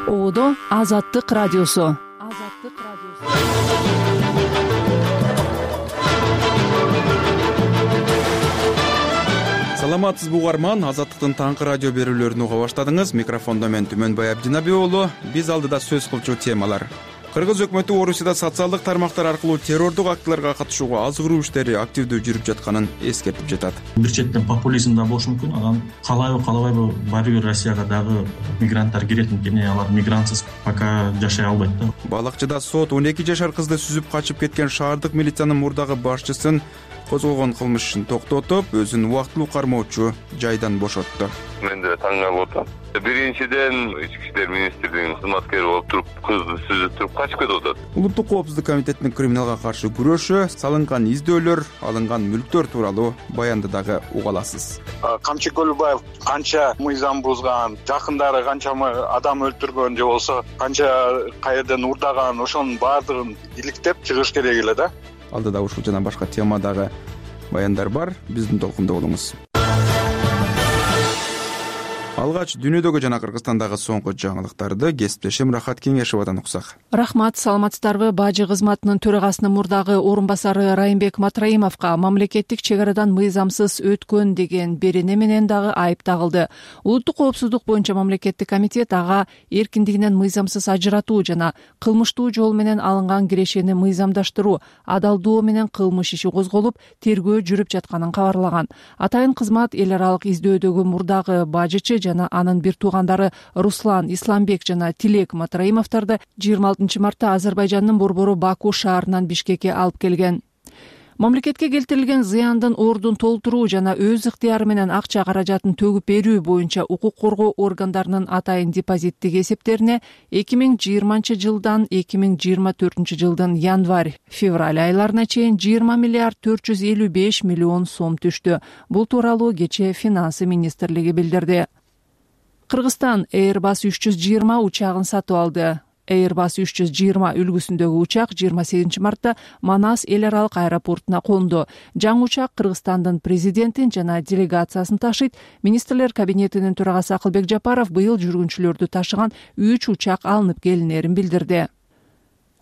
Оодо Азаттык радиосу. Саламатсызбы угарман, Азаттыктын таңкы радио берүүлөрүн уга баштадыңыз. Микрофондо мен Түмөнбай Абдинаби уулу. Биз алдыда сөз кылчу темалар. Кыргыз өкмөтү Орусияда социалдык тармактар аркылуу террордук актыларга катышууга азгыруу иштери активдүү жүрүп жатканын эскертип жатат. Бир четтен популизм да болушу мүмкүн. Анан каалайбы каалабайбы баары бир Россияга дагы мигранттар кирет экен. Алар мигрантсыз пока жашай албайт да. Балакчыда сот 12 жашар кызды сүзүп качып кеткен шаардык милициянын мурдагы башчысын козголгон кылмыш ишин токтотуп, өзүн убактылуу кармоочу жайдан бошотту. Мен да таң калып атам. Биринчиден Ички иштер министрлигинин кызматкери болуп туруп, кызды сүзүп туруп качып кетип атат. Улуттук коопсуздук комитетинин криминалга каршы күрөшү, салынган издөөлөр, алынган мүлктөр тууралуу баянды дагы уга аласыз. Камчы Көлбаев канча мыйзам бузган, жакындары канча адам өлтүргөн же болсо канча каерден урдаган, ошонун баардыгын иликтеп чыгыш керек эле да. Алдыда ушул жана башка темадагы баяндар бар. Биздин толкунда болуңуз. Алгач дүйнөдөгү жана Кыргызстандагы соңку жаңылыктарды кесиптешим Рахат Кеңешовадан уксак. Рахмат, саламатсыздарбы? Бажы кызматынын төрагасынын мурдагы орун басары Райымбек Матраимовго мамлекеттик чек арадан мыйзамсыз өткөн деген берене менен дагы айып тагылды. Улуттук коопсуздук боюнча мамлекеттик комитет ага эркиндигинен мыйзамсыз ажыратуу жана кылмыштуу жол менен алынган кирешени мыйзамдаштыруу, адалдоо менен кылмыш иши козголуп, тергөө жүрүп жатканын кабарлаган. Атайын кызмат эл аралык издөөдөгү мурдагы бажычы жана анын бир туугандары Руслан Исламбек жана Тилек Матраимовдорду 26 мартта Азербайжандын борбору Баку шаарынан Бишкекке алып келген. Мамлекетке келтирилген зыяндын ордун толтуруу жана өз ыктыяры менен акча каражатын төгүп берүү боюнча укук коргоо органдарынын атайын депозиттик эсептерине 2020 жылдан 2024 жылдын январь-февраль айларына чейин 20 миллиард 455 миллион сом түштү. Бул тууралуу кечээ Финансы министрлиги билдирди. Кыргызстан Airbus 320 учагын сатып алды. Airbus 320 үлгүсүндөгү учак 28 мартта Манас эл аралык аэропортуна конду. Жаңы учак Кыргызстандын президентин жана делегациясын ташыйт. Министрлер кабинетинин төрагасы Акылбек Жапаров быйыл жүргүнчүлөрдү ташыган 3 учак алынып келинерин билдирди.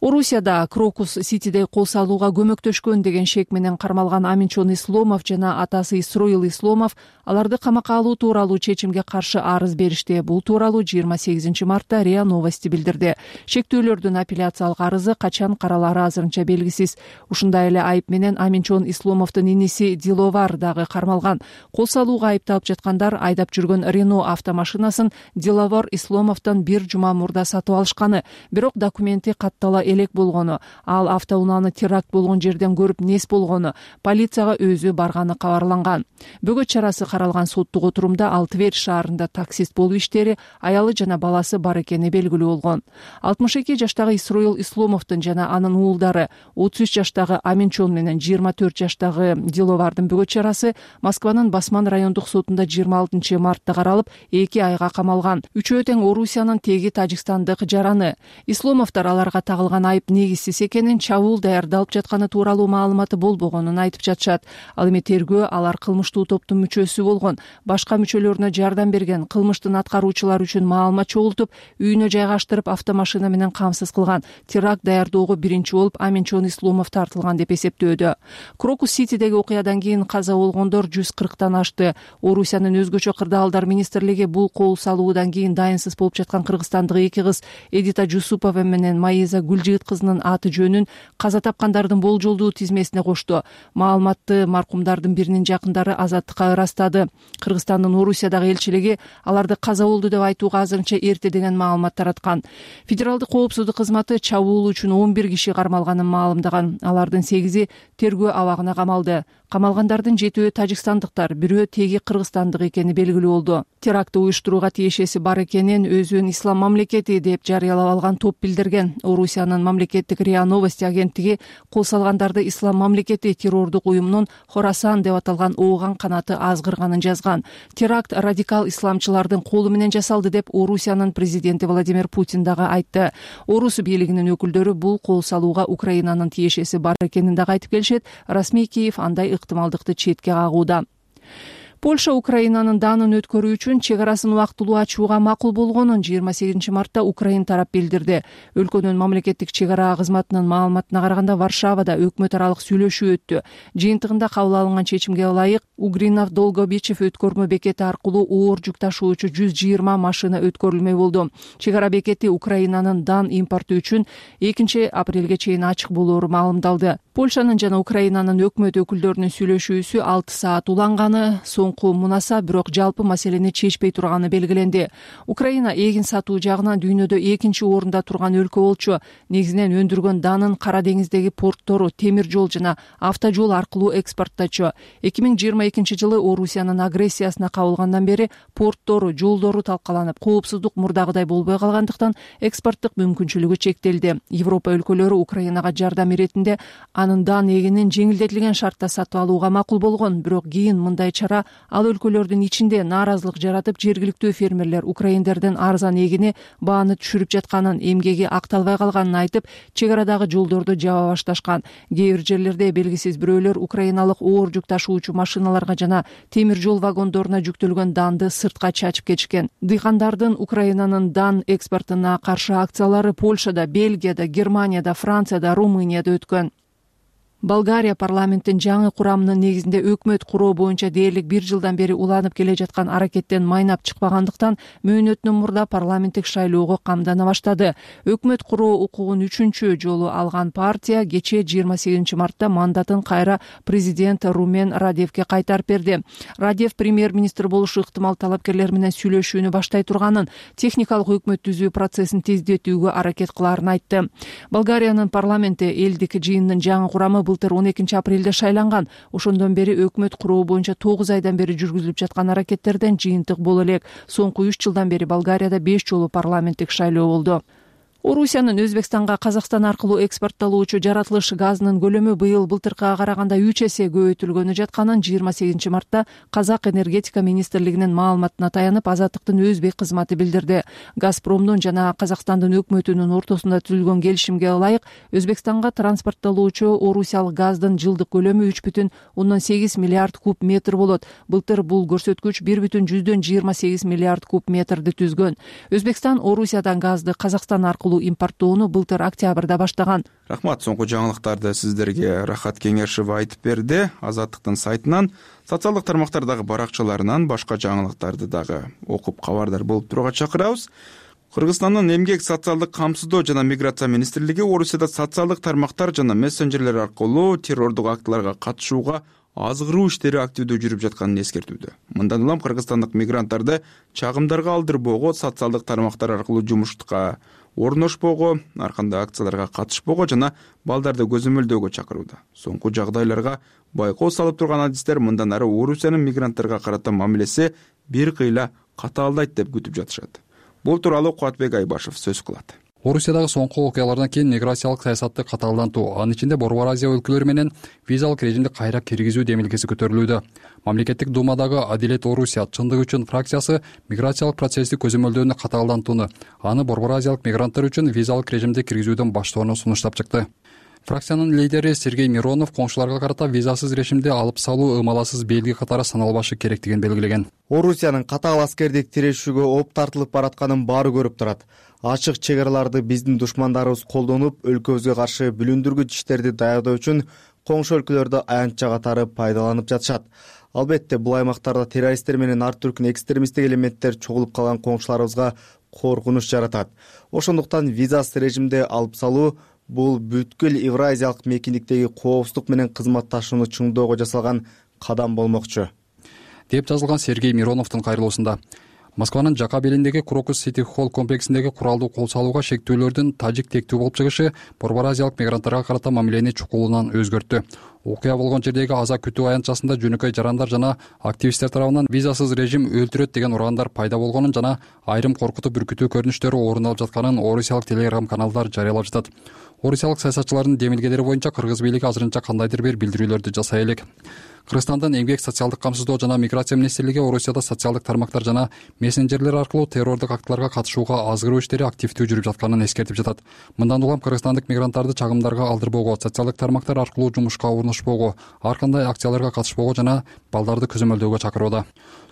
Орусияда Крокус Ситиде кол салууга көмөктөшкөн деген шек менен кармалган Аминчон Исломов жана атасы Исроил Исломов аларды камакка алуу тууралуу чечимге каршы арыз беришти. Бул тууралуу 28 мартта РИА Новости билдирди. Шектүүлөрдүн апелляциялык арызы качан каралары азырынча белгисиз. Ушундай эле айып менен Аминчон Исломовдун иниси Диловар дагы кармалган. Кол салууга айыпталып жаткандар айдап жүргөн Рено автомашинасын Диловар Исломовдон бир жума мурда сатып алышканы, бирок документи каттала элек болгону, ал автоунааны теракт болгон жерден көрүп нес болгону, полицияга өзү барганы кабарланган. Бөгөт чарасы каралган соттук отурумда ал Тверь шаарында таксист болуп иштери, аялы жана баласы бар экени белгилүү болгон. 62 жаштагы Исроил Исломовдун жана анын уулдары, 33 жаштагы Аминчон менен 24 жаштагы Диловардын бөгөт чарасы Москванын Басман райондук сотунда 26 мартта каралып, 2 айга камалган. Үчөө тең Орусиянын, теги Тажикстандык жараны. Исломовдор аларга тагылган айып негизсиз экенин, чабуул даярдалып жатканы тууралуу маалыматы болбогонун айтып жатышат. Ал эми тергөө алар кылмыштуу топтун мүчөсү болгон, башка мүчөлөрүнө жардам берген, кылмыштын аткаруучулар үчүн маалымат чогултуп, үйүнө жайгаштырып автомашина менен камсыз кылган, теракт даярдоого биринчи болуп Аминчон Исломов тартылган деп эсептөөдө. Крокус Ситидеги окуядан кийин каза болгондор 140 ашты. Орусиянын өзгөчө кырдаалдар министрлиги бул кол салуудан кийин дайынсыз болуп жаткан кыргызстандык 2 кыз Эдита Жусупова менен Маиза Гүлжигит кызынын аты жөнүн каза тапкандардын болжолдуу тизмесине кошту. Маалыматты маркумдардын биринин жакындары Азаттыкка ырастады. Кыргызстандын Орусиядагы элчилиги аларды каза болду деп айтууга азырынча эрте деген маалымат тараткан. Федералдык коопсуздук кызматы чабуул үчүн 11 киши кармалганын маалымдаган. Алардын 8-и тергөө абагына камалды. Камалгандардын 7-өө тажикстандыктар, бирөө теги кыргызстандык экени белгилүү болду. Терактты уюштурууга тиешеси бар экенин өзүн ислам мамлекети деп жарыялап алган топ билдирген. Орусиянын мамлекеттик РИА Новости агенттиги кол салгандарды ислам мамлекети террордук уюмунун Хорасан деп аталган ооган канаты азгырганын жазган. Теракт радикал исламчылардын колу менен жасалды деп Орусиянын президенти Владимир Путин дагы айтты. Орус бийлигинин өкүлдөрү бул кол салууга Украинанын тиешеси бар экенин дагы айтып келишет. Расмий Киев андай ыктымалдыкты четке кагууда. Польша Украинанын даанын өткөрүү үчүн чек арасын убактылуу ачууга макул болгонун 28 мартта Украин тарап билдирди. Өлкөнүн мамлекеттик чек ара кызматынын маалыматына караганда Варшавада өкмөт аралык сүйлөшүү өттү. Жыйынтыгында кабыл алынган чечимге ылайык Угринов Долгобичев өткөрмө бекети аркылуу оор жүк ташуучу 120 машина өткөрүлмөй болду. Чек ара бекети Украинанын дан импорту үчүн 2 апрелге чейин ачык болоору маалымдалды. Польшанын жана Украинанын өкмөт өкүлдөрүнүн сүйлөшүүсү 6 саат уланганы, соңку мунаса бирок жалпы маселени чечпей турганы белгиленди. Украина эгин сатуу жагынан дүйнөдө 2 орунда турган өлкө болчу. Негизинен өндүргөн данын Кара деңиздеги порттору, темир жол жана автожол аркылуу экспортточу. 2022 жылы Орусиянын агрессиясына кабылгандан бери порттору, жолдору талкаланып, коопсуздук мурдагыдай болбой калгандыктан экспорттук мүмкүнчүлүгү чектелди. Европа өлкөлөрү Украинага жардам иретинде анын дан эгинин жеңилдетилген шартта сатып алууга макул болгон, бирок кийин мындай чара ал өлкөлөрдүн ичинде нааразылык жаратып, жергиликтүү фермерлер украиндердин арзан эгини бааны түшүрүп жатканын, эмгеги акталбай калганын айтып, чек арадагы жолдорду жаба башташкан. Кээ бир жерлерде белгисиз бирөөлөр украиналык оор жүк ташуучу машиналарга жана темир жол вагондоруна жүктөлгөн данды сыртка чачып кетишкен. Дыйкандардын Украинанын дан экспортуна каршы акциялары Польшада, Бельгияда, Германияда, Францияда, Румынияда өткөн. Болгария парламенттин жаңы курамынын негизинде өкмөт куруу боюнча дээрлик 1 жылдан бери уланып келе жаткан аракеттен майнап чыкпагандыктан мөөнөтүнөн мурда парламенттик шайлоого камдана баштады. Өкмөт куруу укугун 3 жолу алган партия кечээ 28 мартта мандатын кайра президент Румен Радевке кайтарып берди. Радев премьер-министр болушу ыктымал талапкерлер менен сүйлөшүүнү баштай турганын, техникалык өкмөт түзүү процессин тездетүүгө аракет кылаарын айтты. Болгариянын парламенти элдик жыйынынын жаңы курамы былтыр 12 апрелде шайланган. Ошондон бери өкмөт куруу боюнча 9 айдан бери жүргүзүлүп жаткан аракеттерден жыйынтык боло элек. Соңку 3 жылдан бери Болгарияда 5 жолу парламенттик шайлоо болду. Орусиянын Өзбекстанга Казакстан аркылуу экспорттолуучу жаратылыш газынын көлөмү быйыл былтыркыга караганда 3 эсе көбөйтүлгөнү жатканын 28 мартта Казак энергетика министрлигинин маалыматына таянып Азаттыктын өзбек кызматы билдирди. Газпромдун жана Казакстандын өкмөтүнүн ортосунда түзүлгөн келишимге ылайык Өзбекстанга транспорттолуучу орусиялык газдын жылдык көлөмү 3,8 миллиард куб метр болот. Былтыр бул көрсөткүч 1,28 миллиард куб метрди түзгөн. Өзбекстан Орусиядан газды Казакстан аркылуу импорттоону былтыр октябрда баштаган. Рахмат, соңку жаңылыктарды сиздерге Рахат Кеңешова айтып берди. Азаттыктын сайтынан, социалдык тармактардагы баракчаларынан башка жаңылыктарды дагы окуп кабардар болуп турууга чакырабыз. Кыргызстандын эмгек, социалдык камсыздоо жана миграция министрлиги Орусияда социалдык тармактар жана мессенджерлер аркылуу террордук актыларга катышууга азгыруу иштери активдүү жүрүп жатканын эскертүүдө. Мындан улам кыргызстандык мигранттарды чагымдарга алдырбоого, социалдык тармактар аркылуу жумушка орношпоого, ар кандай акцияларга катышпоого жана балдарды көзөмөлдөөгө чакырууда. Соңку жагдайларга байкоо салып турган адистер мындан ары Орусиянын мигранттарга карата мамилеси бир кыйла катаалдайт деп күтүп жатышат. Бул тууралуу Кубатбек Айбашев сөз кылат. Орусиядагы соңку окуялардан кийин миграциялык саясатты катаалдантуу, анын ичинде Борбор Азия өлкөлөрү менен визалык режимди кайра киргизүү демилгеси көтөрүлүүдө. Мамлекеттик думадагы Адилет Орусия чындык үчүн фракциясы миграциялык процессти көзөмөлдөөнү катаалдантууну, аны Борбор Азиялык мигранттар үчүн визалык режимди киргизүүдөн баштоону сунуштап чыкты. Фракциянын лидери Сергей Миронов коңшуларга карата визасыз режимди алып салуу ымаласыз белги катары саналбашы керектигин белгилеген. Орусиянын катаал аскердик тирешүүгө оп тартылып баратканын баары көрүп турат. Ачык чек араларды биздин душмандарыбыз колдонуп, өлкөбүзгө каршы бүлүндүргүч иштерди даярдоо үчүн коңшу өлкөлөрдө аянтча катары пайдаланып жатышат. Албетте, бул аймактарда террористтер менен ар түркүн экстремисттик элементтер чогулуп калган коңшуларыбызга коркунуч жаратат. Ошондуктан визасыз режимди алып салуу бул бүткүл Евразиялык мейкиндиктеги коопсуздук менен кызматташууну чыңдоого жасалган кадам болмокчу, деп жазылган Сергей Мироновдун кайрылуусунда. Москванын Жака белиндеги Крокус Сити Холл комплексиндеги куралдуу кол салууга шектөөлөрдүн тажик тектүү болуп чыгышы Борбор Азиялык мигранттарга карата мамилени чукулунан өзгөрттү. Окуя болгон жердеги аза күтүү аянтчасында жөнөкөй жарандар жана активисттер тарабынан визасыз режим өлтүрөт деген ураандар пайда болгонун жана айрым коркутуп үркүтүү көрүнүштөрү орун алып жатканын орусиялык телеграм каналдар жарыялап жатат. Орусиялык саясатчылардын демилгелери боюнча кыргыз бийлиги азырынча кандайдыр бир билдирүүлөрдү жасай элек. Кыргызстандын эмгек социалдык камсыздоо жана миграция министрлиги Орусияда социалдык тармактар жана мессенджерлер аркылуу террордук актыларга катышууга азгыруу иштери активдүү жүрүп жатканын эскертип жатат. Мындан улам кыргызстандык мигранттарды чагымдарга алдырбоого, социалдык тармактар аркылуу жумушка орношпоого, ар кандай акцияларга катышпоого жана балдарды көзөмөлдөөгө чакырууда.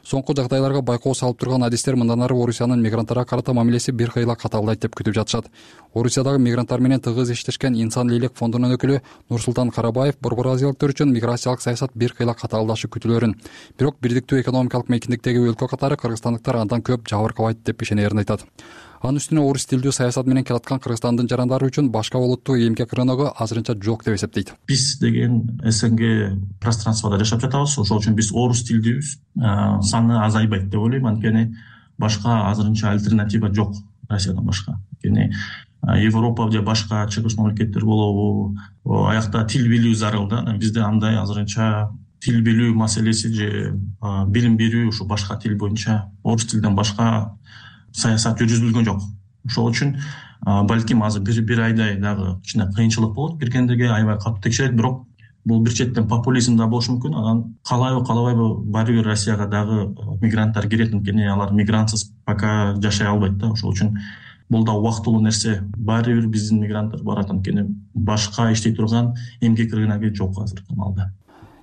Соңку жагдайларга байкоо салып турган адистер мындан ары Орусиянын мигранттарга карата мамилеси бир кыйла каталдайт деп күтүп жатышат. Орусиядагы мигранттар менен тыгыз иштешкен Инсан Лейлек фондунун өкүлү Нурсултан Карабаев борбор азиялыктар үчүн миграциялык саясат бир кыйла каталдашы күтүлөрүн, бирок бирдиктүү экономикалык мейкиндиктеги өлкө катары кыргызстандыктар андан көп жабыркабайт деп ишенерин айтат. Анын үстүнө орус тилдүү саясат менен келаткан Кыргызстандын жарандары үчүн башка олуттуу эмгек рыногу азырынча жок деп эсептейт. Биз деген СНГ пространствода жашап жатабыз, ошол үчүн биз орус тилдүүбүз. Саны азайбайт деп ойлойм, анткени башка азырынча альтернатива жок Россиядан башка. Анткени Европа же башка чыгыш мамлекеттер болобу, аякта тил билүү зарыл да. Бизде андай азырынча тил билүү маселеси же билим берүү ушу башка тил боюнча орус тилден башка саясат жүргүзүлгөн жок. Ошол үчүн балким азыр бир айдай дагы кичине кыйынчылык болот, киргендерге аябай катуу текшерет, бирок бул бир четтен популизм да болушу мүмкүн. Анан каалайбы каалабайбы баары бир Россияга дагы мигранттар кирет, анткени алар мигрантсыз пока жашай албайт да. Ошол үчүн бул да убактылуу нерсе. Баары бир биздин мигранттар барат, анткени башка иштей турган эмгек рыногу жок азыркы маалда.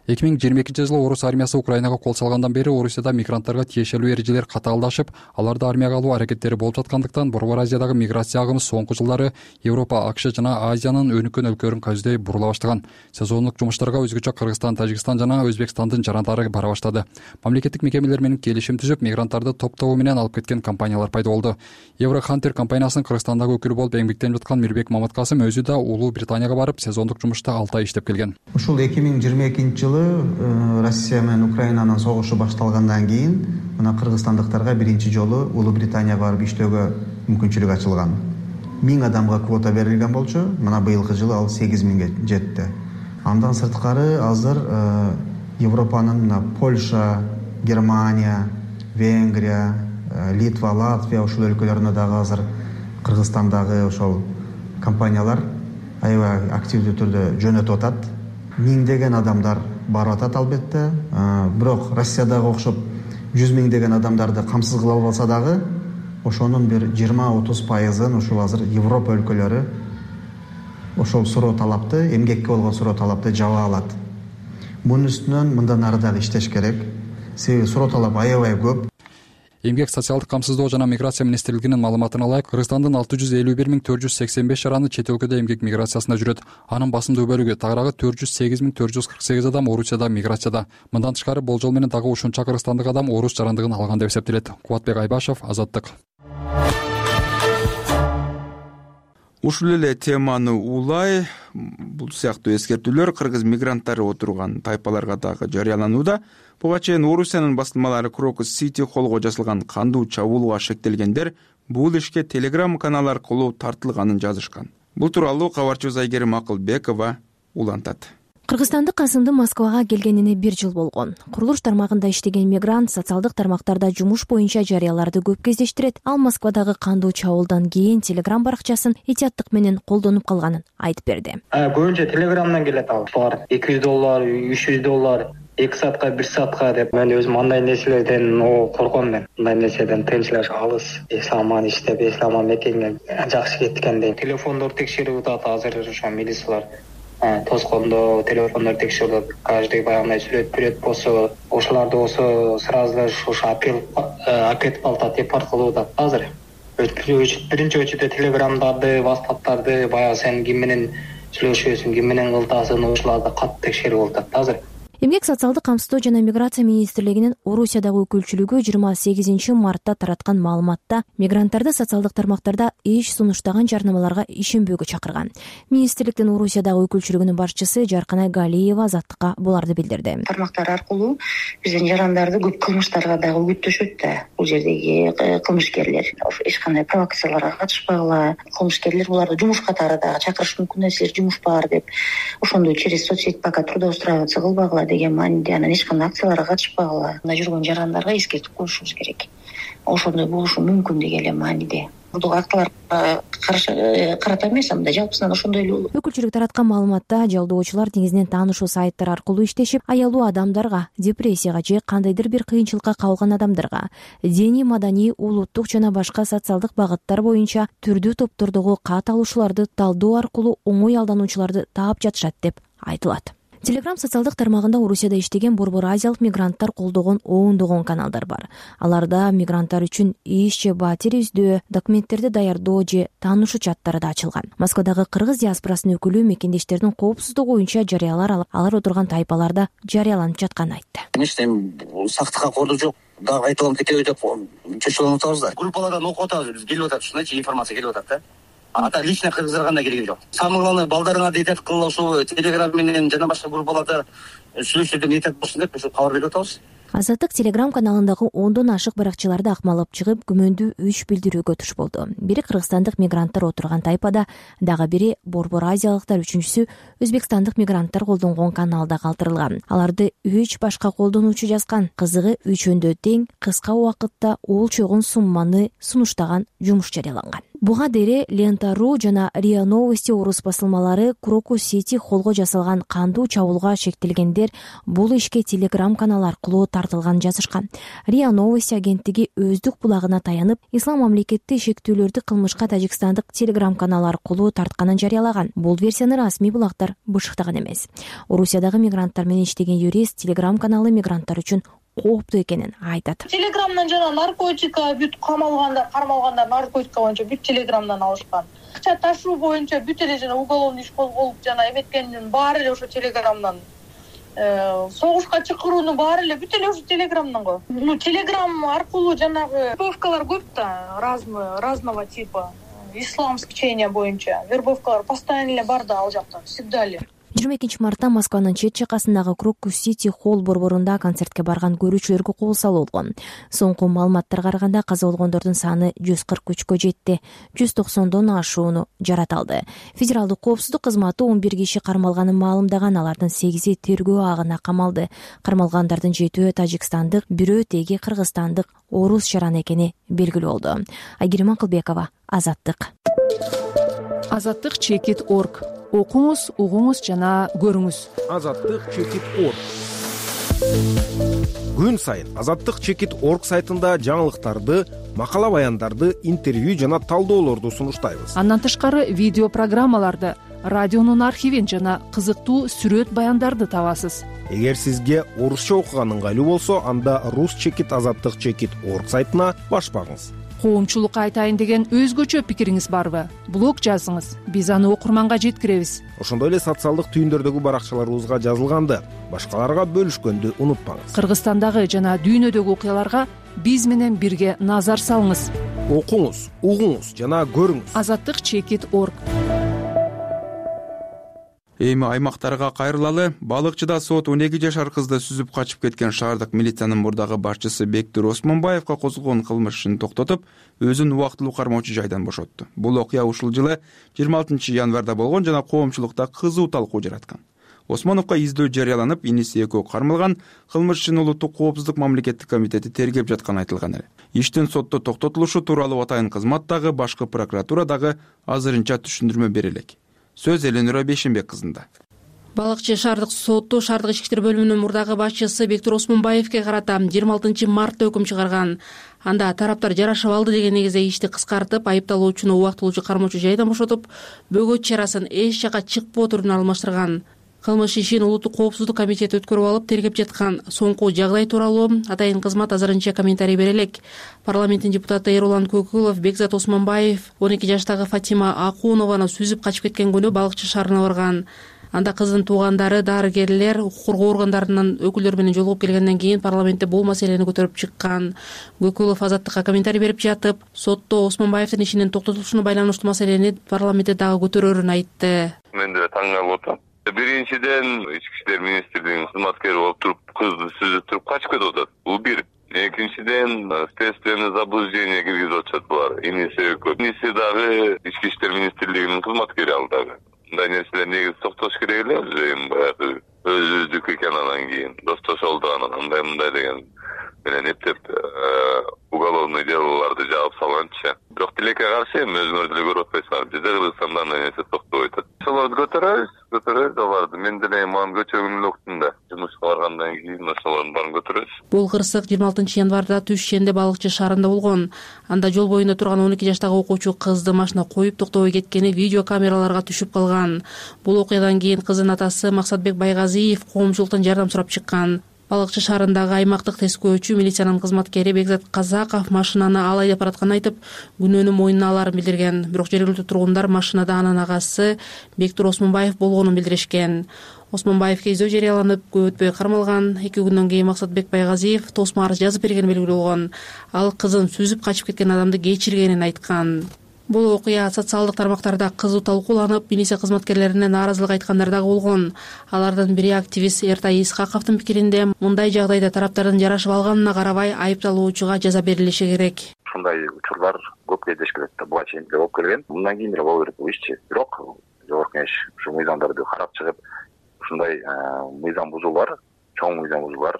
2022-жылы орус армиясы Украинага кол салгандан бери Орусияда мигранттарга тиешелүү эрежелер катаалдашып, аларды армияга алуу аракеттери болуп жаткандыктан Борбор Азиядагы миграция агымы соңку жылдары Европа, АКШ жана Азиянын өнүккөн өлкөлөрүн көздөй бурула баштаган. Сезондук жумуштарга өзгөчө Кыргызстан, Тажикстан жана Өзбекстандын жарандары бара баштады. Мамлекеттик мекемелер менен келишим түзүп, мигранттарды топтоо менен алып кеткен компаниялар пайда болду. Еврохантер компаниясынын Кыргызстандагы өкүлү болуп эмгектенип жаткан Мирбек Маматкасым өзү да Улуу Британияга барып, сезондук жумушта 6 ай иштеп келген. Ушул 2022-жылы Россия менен Украинанын согушу башталгандан кийин мына кыргызстандыктарга биринчи жолу Улуу Британияга барып иштөөгө мүмкүнчүлүк ачылган. 1000 адамга квота берилген болчу, мына быйылкы жылы ал 8000 жетти. Андан сырткары азыр Европанын мына Польша, Германия, Венгрия, Литва, Латвия ушул өлкөлөрүнө дагы азыр Кыргызстандагы ошол компаниялар аябай активдүү түрдө жөнөтүп атат. Миңдеген адамдар барып атат албетте, бирок Россиядагы окшоп 100 миңдеген адамдарды камсыз кыла албаса дагы, ошонун бир 20-30% ушул азыр Европа өлкөлөрү ошол суроо талапты, эмгекке болгон суроо талапты жаба алат. Мунун үстүнөн мындан ары дагы иштеш керек. Себеби суроо талап аябай көп. Эмгек социалдык камсыздоо жана миграция министрлигинин маалыматына ылайык, Кыргызстандын 651.480 жараны чет өлкөдө эмгек миграциясында жүрөт. Анын басымдуу бөлүгү, тагыраагы 408.448 адам Орусияда миграцияда. Мындан тышкары болжол менен дагы ушунча кыргызстандык адам орус жарандыгын алган деп эсептелет. Кубатбек Айбашев, Азаттык. Ушул эле теманы улай бул сыяктуу эскертүүлөр кыргыз мигранттары отурган тайпаларга дагы жарыяланууда. Буга чейин Орусиянын басылмалары Крокус Сити колго жасалган кандуу чабуулга шектелгендер бул ишке Telegram канал аркылуу тартылганын жазышкан. Бул тууралуу кабарчыбыз Айгерим Акылбекова улантат. Кыргызстандык Касымдын Москвага келгенине 1 жыл болгон. Курулуш тармагында иштеген мигрант социалдык тармактарда жумуш боюнча жарыяларды көп кездештирет. Ал Москвадагы кандуу чабуулдан кийин Telegram баракчасын этияттык менен колдонуп калганын айтып берди. Көбүнчө Telegramдан келет ал. $200, $300, 2 саатка 1 саатка деп. Мен өзүм андай нерселерден корком мен. Мындай нерседен тынчылык алыс. Исламан иштеп, исламан мекенге жакшы кеткендей. Телефондор текшерип атат азыр ошо милициялар. Тоскондо телефондор текшерилет, каждый баягындай сүрөт берет болсо, ошолорду болсо сразу ошо акетип алат, депорт кылып атат азыр. Биринчи очередде Телеграмдарды, WhatsApp'тарды баягы сен ким менен сүйлөшөсүң, ким менен кылтасың, ошолорду катты текшерип атат азыр. Эмгек социалдык камсыздоо жана миграция министрлигинин Орусиядагы өкүлчүлүгү 28 мартта тараткан маалыматта мигранттарды социалдык тармактарда эч сунуштаган жарнамаларга ишенбөөгө чакырган. Министрликтин Орусиядагы өкүлчүлүгүнүн башчысы Жарканай Галиева Азаттыкка буларды билдирди. Тармактар аркылуу биздин жарандарды көп кылмыштарга дагы үгүттөшөт да. Бул жердеги кылмышкерлер эч кандай провокацияларга катышпагыла, кылмышкерлер буларды жумуш катары дагы чакырышы мүмкүн, силер жумуш бар деп, ошондой через соцсеть пока трудоустраиваться кылбагыла деген мааниде, анан эч кандай акцияларга катышпагыла. Мына жүргөн жарандарга эскертип коюшубуз керек. Ошондой болушу мүмкүн деген эле мааниде. актыларга карата эмес, мындай жалпысынан ошондой эле болот. Өкүлчүлүк тараткан маалыматта жалдоочулар негизинен таанышуу сайттар аркылуу иштешип, аялуу адамдарга, депрессияга же кандайдыр бир кыйынчылыкка калган адамдарга диний, маданий, улуттук жана башка социалдык багыттар боюнча түрдүү топтордогу кат алуучуларды талдоо аркылуу оңой алдануучуларды таап жатышат деп айтылат. Телеграм социалдык тармагында Орусияда иштеген борбор азиялык мигранттар колдогон ондогон каналдар бар. Аларда мигранттар үчүн иш же батир издөө, документтерди даярдоо же таанышуу чаттары да ачылган. Москвадагы кыргыз диаспорасынын өкүлү мекендештердин коопсуздугу боюнча жарыялар алар отурган тайпаларда жарыяланып жатканын айтты. Эми сактыкка корду жок, дагы кайталанып кетеби деп чочуланып атабыз да. Группалардан окуп атабыз, биз келип атат, ушундайчы информация келип атат да. Ата лично кыргыздар кандай келген жок. Самый главный балдарыңа дейт кылып ошо Телеграм менен жана башка группаларда сүйлөшүүдө ниет болсун деп ошо кабар берип атабыз. Азаттык Телеграм каналындагы 10дон ашык баракчыларды акмалап чыгып, күмөндүү 3 билдирүүгө туш болду. Бири кыргызстандык мигранттар отурган тайпада, дагы бири борбор азиялыктар, үчүнчүсү өзбекстандык мигранттар колдонгон каналда калтырылган. Аларды 3 башка колдонуучу жазган. Кызыгы үчөөндө тең кыска убакытта ол чогун сумманы сунуштаган жумуш жарыяланган. Буга дере Лента.ру жана РИА Новости орус басылмалары Крокус Сити холго жасалган кандуу чабуулга шектелгендер бул ишке Телеграм канал аркылуу тартылган жазышкан. РИА Новости агенттиги өздүк булагына таянып, ислам мамлекети шектүүлөрдү кылмышка Тажикстандык Телеграм канал аркылуу тартканын жарыялаган. Бул версияны расмий булактар бышыктаган эмес. Орусиядагы мигранттар менен иштеген юрист Телеграм каналы мигранттар үчүн кооптуу экенин айтат. Телеграмдан жана наркотика бүт кармалгандар наркотика боюнча бүт Телеграмдан алышкан. Акча ташуу боюнча бүт эле жана уголовный иш козголуп жана эметкендин баары эле ошо Телеграмдан. Согушка чакыруунун баары эле бүт эле ошо Телеграмдан го. Телеграм аркылуу жанагы вербовкалар көп да, разного типа. Исламский чейня боюнча вербовкалар постоянно эле бар да ал жакта, всегда эле. 22 мартта Москванын чет жакасындагы Крокус Сити холл борборунда концертке барган көрүүчүлөргө кол салуулган. Соңку маалыматтарга караганда каза болгондордун саны 143кө жетти. 190дон ашууну жараталды. Федералдык коопсуздук кызматы 11 киши кармалганын маалымдаган, алардын 8и тергөө агына камалды. Кармалгандардын 7-өө Тажикстандык, бирөө теги кыргызстандык орус шаран экени белгилүү болду. Айгерим Акылбекова, Азаттык. Азаттык.org. Окуңуз, угуңуз жана көрүңүз. Азаттык.org. Күн сайын Азаттык.org сайтында жаңылыктарды, макала баяндарды, интервью жана талдоолорду сунуштайбыз. Андан тышкары видео программаларды, радионун архивин жана кызыктуу сүрөт баяндарды табасыз. Эгер сизге орусча окуган ыңгайлуу болсо, анда Азаттык.org сайтына баш багыңыз. Коомчулукка айтайын деген өзгөчө пикириңиз барбы? Блог жазыңыз, биз аны окурманга жеткиребиз. Ошондой эле социалдык түйүндөрдөгү баракчаларыбызга жазылганды башкаларга бөлүшкөндү унутпаңыз. Кыргызстандагы жана дүйнөдөгү окуяларга биз менен бирге назар салыңыз. Окуңуз, угуңуз жана көрүңүз. Азаттык.org. Эми аймактарга кайрылалы. Балыкчыда сот 12 жашар кызды сүзүп качып кеткен шаардык милициянын мурдагы башчысы Бектур Осмонбаевга козголгон кылмыш ишин токтотуп, өзүн убактылуу кармоочу жайдан бошотту. Бул окуя ушул жылы 26 январда болгон жана коомчулукта кызуу талкуу жараткан. Осмоновго издөө жарыяланып, иниси экөө кармалган. Кылмыш ишин Улуттук коопсуздук мамлекеттик комитети тергеп жатканы айтылган эле. Иштин сотто токтотулушу тууралуу атайын кызмат дагы, башкы прокуратура дагы азырынча түшүндүрмө бере элек. Сөз Эленура Бешенбек кызында. Балыкчы шаардык соту шаардык ички иштер бөлүмүнүн мурдагы башчысы Бектур Осмонбаевге карата 26 мартта өкүм чыгарган. Анда тараптар жарашып алды деген негизде ишти кыскартып, айыпталуучуну убактылуу кармоочу жайдан бошотуп, бөгөт чарасын эч жака чыкпоо түрүнө алмаштырган. Кылмыш ишин Улуттук коопсуздук комитети өткөрүп алып, тергеп жаткан соңку жагдай тууралуу атайын кызмат азырынча комментарий бере элек. Парламенттин депутаты Эрулан Көкүлов Бекзат Осмонбаев 12 жаштагы Фатима Акунованы сүзүп качып кеткен күнү балыкчы шаарына барган. Анда кыздын туугандары, дарыгерлер, укук коргоо органдарынын өкүлдөрү менен жолугуп келгенден кийин парламентте бул маселени көтөрүп чыккан. Көкүлов Азаттыкка комментарий берип жатып, сотто Осмонбаевдин ишинин токтотулушуна байланыштуу маселени парламентте дагы көтөрөрүн айтты. Мен да таң калып атам. Биринчиден ички иштер министрлигинин кызматкери болуп туруп, кызды сүзүп туруп качып кетип атат. Бул бир. Экинчиден следственный заблуждение киргизип атышат булар. Иниси экөө. Иниси дагы ички иштер министрлигинин кызматкери ал дагы. Мындай нерселер негизи токтош керек эле. Баягы өзүбүздүкү экен, анан кийин достошолду, анан мындай деген менен эптеп уголовный делолорду жаап салганчы. Бирок тилекке каршы эми өзүңөр деле көрүп атпайсыңарбы, бизде Кыргызстанда андай нерсе токтобой атат. Ошолорду көтөрөбүз аларды. Мен деле мага көчөгүнүн убактында жумушка баргандан кийин ошолордун баарын көтөрөбүз. Бул кырсык 26-январда Түш Шенде балыкчы шаарында болгон. Анда жол боюнда турган 12 жаштагы окуучу кызды машина коюп токтобой кеткени видео камераларга түшүп калган. Бул окуядан кийин кыздын атасы Максатбек Байгазиев коомчулуктан жардам сурап чыккан. Балыкчы шаарындагы аймактык тескөөчү милициянын кызматкери Бекзат Казаков машинаны ал айдап баратканын айтып, күнөөнү мойнуна аларын билдирген. Бирок жергиликтүү тургундар машинада анын агасы Бектур Осмонбаев болгонун билдиришкен. Осмонбаевке издөө жарыяланып, көп өтпөй кармалган. 2 күндөн кийин Максатбек Байгазиев тосмо арыз жазып бергени белгилүү болгон. Ал кызын сүзүп качып кеткен адамды кечиргенин айткан. Бул окуя социалдык тармактарда кызуу талкууланып, милиция кызматкерлерине нааразылык айткандар дагы болгон. Алардын бири активист Эртай Исхаковдун пикиринде, мындай жагдайда тараптардын жарашып алганына карабай айыпталуучуга жаза берилиши керек. Ушундай учурлар көп кездешкен да, буга чейин деле болуп келген. Мындан кийин деле боло берет бул ишчи. Бирок Жогорку Кеңеш ушу мыйзамдарды карап чыгып, ушундай мыйзам бузуулар, чоң мыйзам бузуулар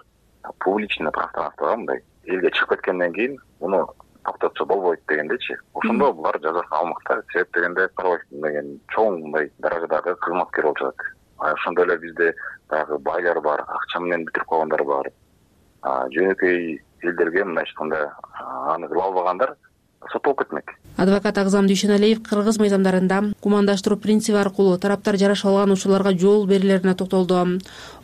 публичный пространствого мындай элге чыгып кеткенден кийин муну токтотсо болбойт дегендечи. Ошондо булар жазасын алмакта. Себеп дегенде карабайт деген чоң мындай даражадагы кызматкер болуп жатат. Ошондой эле бизде дагы байлар бар, акча менен бүтүрүп койгондар бар. Жөнөкөй элдерге мындай айтканда аны кыла албагандар соттолуп кетмек. Адвокат Агзам Дүйшөналиев кыргыз мыйзамдарында гумандаштыруу принциби аркылуу тараптар жарашып алган учурларга жол берилерине токтолду.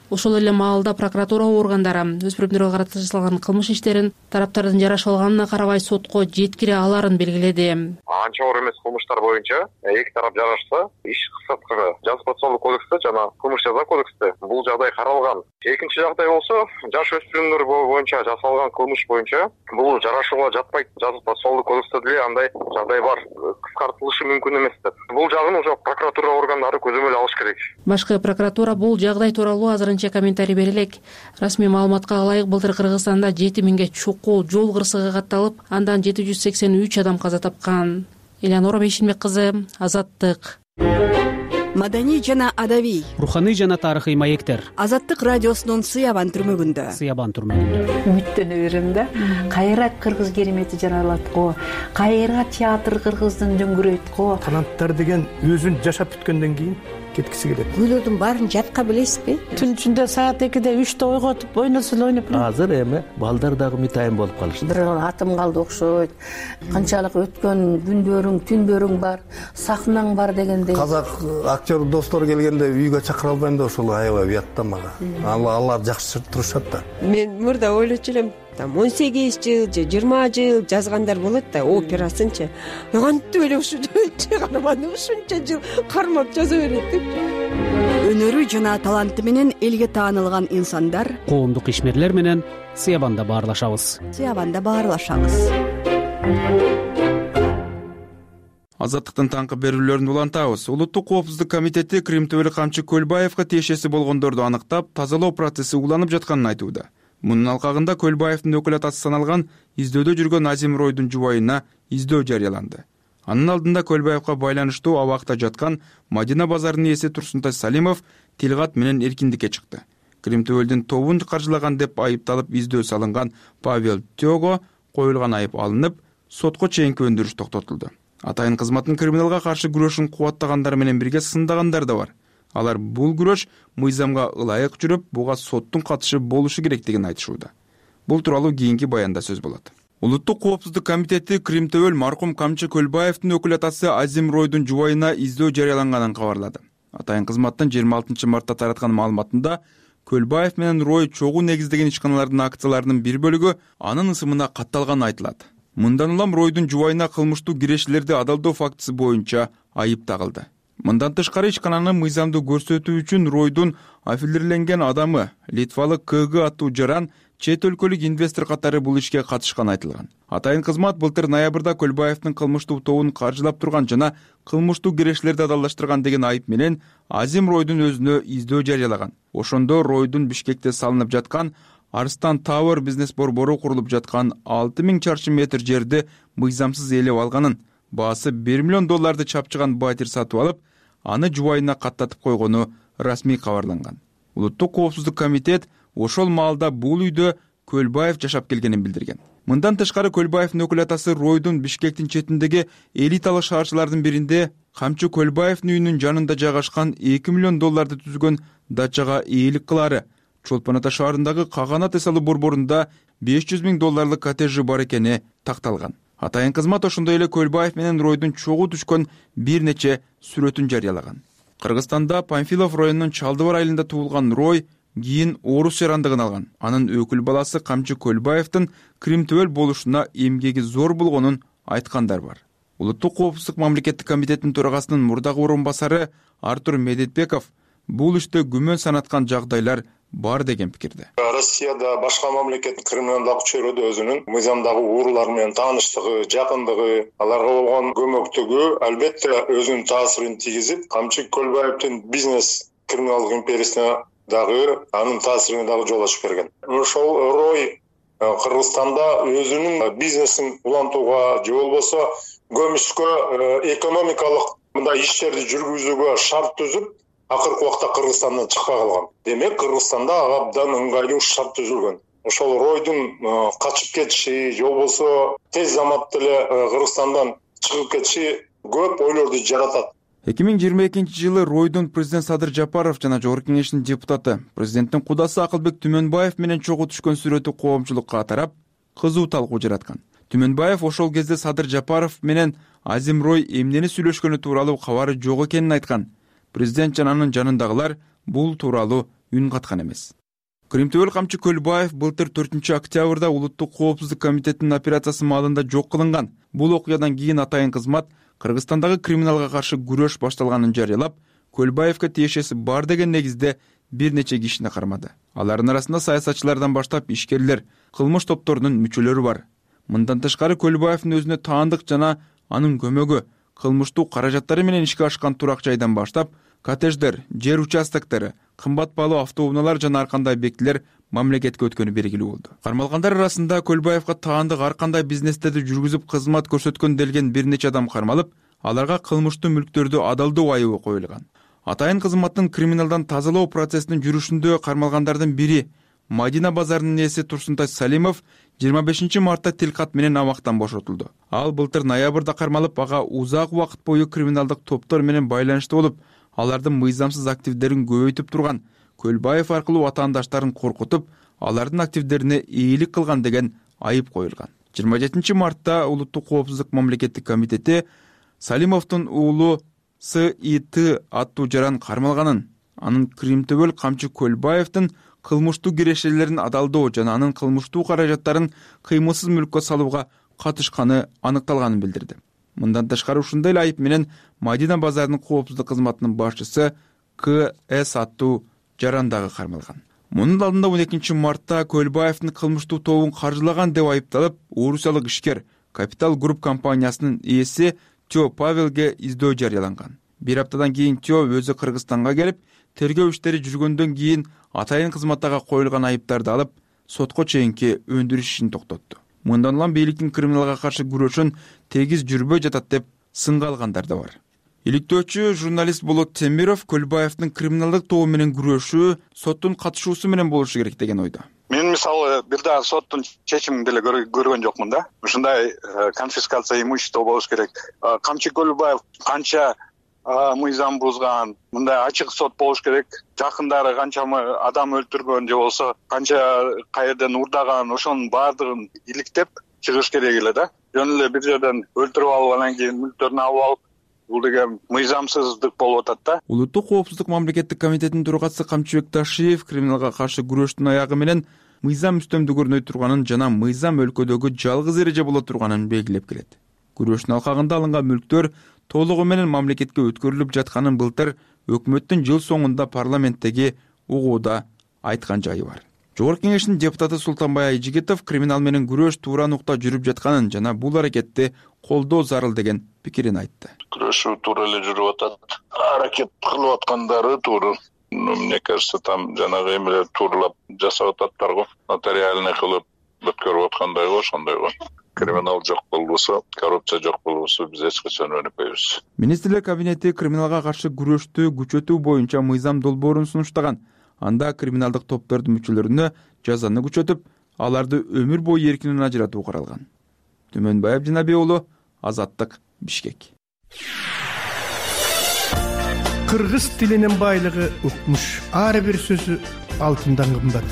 Ошол эле маалда прокуратура органдары өспүрүмдөргө карата жасалган кылмыш иштерин тараптардын жарашып алганына карабай сотко жеткире аларын белгиледи. Анча оор эмес кылмыштар боюнча эки тарап жарашса, иш кыскартка жаза процессуалдык кодексте жана кылмыш жаза кодексте бул жагдай каралган. Экинчи жагдай болсо, жаш өспүрүмдөр боюнча жасалган кылмыш боюнча бул жарашууга жатпайт. Жаза процессуалдык кодексте деле андай жагдай бар. Кыскартылышы мүмкүн эмес деп. Бул жагын уже прокуратура органдары көзөмөл алыш керек. Башкы прокуратура бул жагдай тууралуу азырынча комментарий бере элек. Расмий маалыматка ылайык былтыр Кыргызстанда 7000ге чукул жол кырсыгы катталып, андан 783 адам каза тапкан. Элеонора Бейшенбек кызы, Азаттык. Маданий жана адабий, руханий жана тарыхый маектер. Азаттык радиосунун Сыябан түрмөгүндө. Үмүттөнө берем да. Кайра кыргыз керемети жаралат го, кайра театр кыргыздын дөңгүрөйт го. Таланттар деген өзүн жашап бүткөндөн кийин кеткиси келет. Күйлөрдүн баарын жатка билесизби? Түн ичинде саат 2-де 3-те ойготуп ойносо ойноп. Азыр эми балдар дагы мытайын болуп калышты. Бир атым калды окшойт. Канчалык өткөн күндөрүң, түндөрүң бар, сахнаң бар дегендей. Казак актер достор келгенде үйгө чакыра албайм да, ошол аябай уят да мага. Алар жакшы турушат да. Мен мурда ойлочу элем, 18 жыл же 20 жыл жазгандар болот да, операсынчы. Кантип эле ушунча карманды, ушунча жыл кармап жаза берет деп. Өнөрү жана таланты менен элге таанылган инсандар, Коомдук ишмерлер менен Сыябанда баарлашабыз. Азаттыктын таңкы берүүлөрүн улантабыз. Улуттук коопсуздук комитети Крим Төбөлүк камчы Көлбаевга тиешеси болгондорду аныктап, тазалоо процесси уланып жатканын айтууда. Мунун алкагында Көлбаевдин өкүл атасы саналган издөөдө жүргөн Азим Ройдун жубайына издөө жарыяланды. Анын алдында Көлбаевга байланыштуу абакта жаткан Мадина базарынын ээси Турсунтай Салимов тилгат менен эркиндикке чыкты. Крим Төбөлдүн тобун каржылаган деп айыпталып издөө салынган Павел Тёго коюлган айып алынып, сотко чейинки өндүрүш токтотулду. Атайын кызматтын криминалга каршы күрөшүн кубаттагандар менен бирге сындагандар да бар. Алар бул күрөш мыйзамга ылайык жүрүп, буга соттун катышы болушу керектигин айтышууда. Бул тууралуу кийинки баянда сөз болот. Улуттук коопсуздук комитети Крим Төбөл маркум камчы Көлбаевдин өкүл атасы Азим Ройдун жубайына издөө жарыяланганын кабарлады. Атайын кызматтын 26 мартта тараткан маалыматында Көлбаев менен Рой чогуу негиздеген ишканалардын акцияларынын бир бөлүгү анын ысымына катталганы айтылат. Мындан улам Ройдун жубайына кылмыштуу кирешилерди адалдоо фактысы боюнча айып тагылды. Мындан тышкары ишкананы мыйзамдуу көрсөтүү үчүн Ройдун аффилирленген адамы Литвалык КГ аттуу жаран чет өлкөлүк инвестор катары бул ишке катышканы айтылган. Атайын кызмат былтыр ноябрда Көлбаевдин кылмыштуу тобун каржылап турган жана кылмыштуу кирешилерди адалдаштырган деген айып менен Азим Ройдун өзүнө издөө жарыялаган. Ошондо Ройдун Бишкекте салынып жаткан Арстан Tower бизнес борбору курулуп жаткан 6000 чарчы метр жерди мыйзамсыз ээлеп алганын, баасы $1 миллион чапчыган батир сатып алып, аны жубайына каттатып койгону расмий кабарланган. Улуттук коопсуздук комитет ошол маалда бул үйдө Көлбаев жашап келгенин билдирген. Мындан тышкары Көлбаевдин өкүл атасы Ройдун Бишкектин четиндеги элиталык шаарчылардын биринде Камчы Көлбаевдин үйүнүн жанында жайгашкан $2 миллион түзгөн дачага ээлик кылаары, Чолпон Ата шаарындагы Каганат эсалы борборунда $500 000 коттеджи бар экени такталган. Атайын кызмат ошондой эле Көлбаев менен Ройдун чогуу түшкөн бир нече сүрөтүн жарыялаган. Кыргызстанда Памфилов районунун Чалдыбар айылында туулган Рой кийин орус жарандыгын алган. Анын өкүл баласы Камчы Көлбаевдин Крим төбөл болушуна эмгеги зор болгонун айткандар бар. Улуттук коопсуздук мамлекеттик комитетинин төрагасынын мурдагы орун басары Артур Медетбеков бул иште күмөн санаткан жагдайлар бар деген пикирде. Россияда башка мамлекеттин криминалдык чөйрөдө өзүнүн мыйзамдагы уурулар менен тааныштыгы, жакындыгы, аларга болгон көмөктүгү албетте өзүнүн таасирин тийгизип, Камчы Көлбаевдин бизнес криминалдык империясына дагы анын таасирине дагы жол ачып берген. Ошол Рой Кыргызстанда өзүнүн бизнесин улантууга же болбосо көмүшкө экономикалык мындай иштерди жүргүзүүгө шарт түзүп, акыркы убакта Кыргызстандан чыкпай калган. Демек, Кыргызстанда абдан ыңгайлуу шарт түзүлгөн. Ошол Ройдун качып кетиши же болбосо тез заматта эле Кыргызстандан чыгып кетиши көп ойлорду жаратат. 2022 Ройдун президент Садыр Жапаров жана Жогорку Кеңештин депутаты, президенттин кудасы Акылбек Түмөнбаев менен чогуу түшкөн сүрөтү коомчулукка тарап, кызуу талкуу жараткан. Түмөнбаев ошол кезде Садыр Жапаров менен Азим Рой эмнени сүйлөшкөнү тууралуу кабары жок экенин айткан. Президент жана анын жанындагылар бул тууралуу үн каткан эмес. Крим төбөл Камчы Көлбаев былтыр 4-октябрда Улуттук коопсуздук комитетинин операциясы маалында жок кылынган. Бул окуядан кийин атайын кызмат Кыргызстандагы криминалга каршы күрөш башталганын жарыялап, Көлбаевге тиешеси бар деген негизде бир нече кишини кармады. Алардын арасында саясатчылардан баштап ишкерлер, кылмыш топторунун мүчөлөрү бар. Мындан тышкары Көлбаевдин өзүнө таандык жана анын көмөгү кылмыштуу каражаттары менен ишке ашкан турак жайдан баштап, коттедждер, жер участоктори, кымбат баалуу автоунaalар жана ар кандай объектилер мамлекетке өткөнү белгилүү болду. Кармалгандар арасында Көлбаевга таандык ар кандай бизнестерди жүргүзүп кызмат көрсөткөн делген бир нече адам кармалып, аларга кылмыштуу мүлктөрдү адалдоо айыбы коюлган. Атайын кызматтын криминалдан тазалоо процессинин жүрүшүндө кармалгандардын бири Мадина базарынын ээси Турсунтай Салимов 25 мартта тилкат менен абактан бошотулду. Ал былтыр ноябрда кармалып, ага узак убакыт бою криминалдык топтор менен байланыштуу болуп, алардын мыйзамсыз активдерин көбөйтүп турган, Көлбаев аркылуу ватандаштарын коркутуп, алардын активдерине ээлик кылган деген айып коюлган. 27 мартта Улуттук коопсуздук мамлекеттик комитети Салимовдун уулу СИТ аттуу жаран кармалганын, анын Крим төбөл Камчы Көлбаевдин кылмыштуу кирешелерин адалдоо жана анын кылмыштуу каражаттарын кыймылсыз мүлккө салууга катышканы аныкталганын билдирди. Мындан тышкары ушундай эле айып менен Мадина базарынын коопсуздук кызматынын башчысы КС аттуу жаран дагы кармалган. Мунун алдында 12 мартта Көлбаевдин кылмыштуу тобун каржылаган деп айыпталып, орусиялык ишкер Капитал Групп компаниясынын ээси Тё Павелге издөө жарыяланган. Бир аптадан кийин Тё өзү Кыргызстанга келип, тергөө иштери жүргөндөн кийин атайын кызматтага коюлган айыптарды алып, сотко чейинки өндүрүш ишин токтотту. Мындан улам бийликтин криминалга каршы күрөшүн тегиз жүрбөй жатат деп сынга алгандар да бар. Иликтөөчү журналист Болот Темиров Көлбаевдин криминалдык тобу менен күрөшүү соттун катышуусу менен болушу керек деген ойдо. Мен мисалы бир дагы соттун чечимин деле көргөн жокмун да. Ушундай конфискация имущества болуш керек. Камчы Көлбаев канча мыйзам бузган, мындай ачык сот болуш керек. Жакындары канчамы адам өлтүргөн же болсо канча каерден урдаган, ошонун баардыгын иликтеп чыгыш керек эле да. Жөн эле бир жерден өлтүрүп алып анан кийин мүлктөрүн алып алып, бул деген мыйзамсыздык болуп атат да. Улуттук коопсуздук мамлекеттик комитетинин төрагасы Камчыбек Ташиев криминалга каршы күрөштүн аягы менен мыйзам үстөмдүгү турганын жана мыйзам өлкөдөгү жалгыз эреже боло турганын белгилеп келет. Күрөштүн алкагында алынган мүлктөр толугу менен мамлекетке өткөрүлүп жатканын былтыр өкмөттүн жыл соңунда парламенттеги угууда айткан жайы бар. Жогорку Кеңештин депутаты Султанбай Айжигитов криминал менен күрөш туура нукта жүрүп жатканын жана бул аракетти колдоо зарыл деген пикирин айтты. Күрөшүү туура эле жүрүп атат. Аракет кылып аткандары туура. Мне кажется, там жанагы эмелер тууралап жасап ататтар го. Нотариальный кылып өткөрүп аткандай го, ошондой го. Криминал жок болбосо, коррупция жок болбосо биз эч качан өнүкпөйбүз. Министрлер кабинети криминалга каршы күрөштү күчөтүү боюнча мыйзам долбоорун сунуштаган. Анда криминалдык топтордун мүчөлөрүнө жазаны күчөтүп, аларды өмүр бою эркинен ажыратуу каралган. Түмөнбай Абдинаби уулу, Азаттык, Бишкек. Кыргыз тилинин байлыгы укмуш. Ар бир сөзү алтындан кымбат.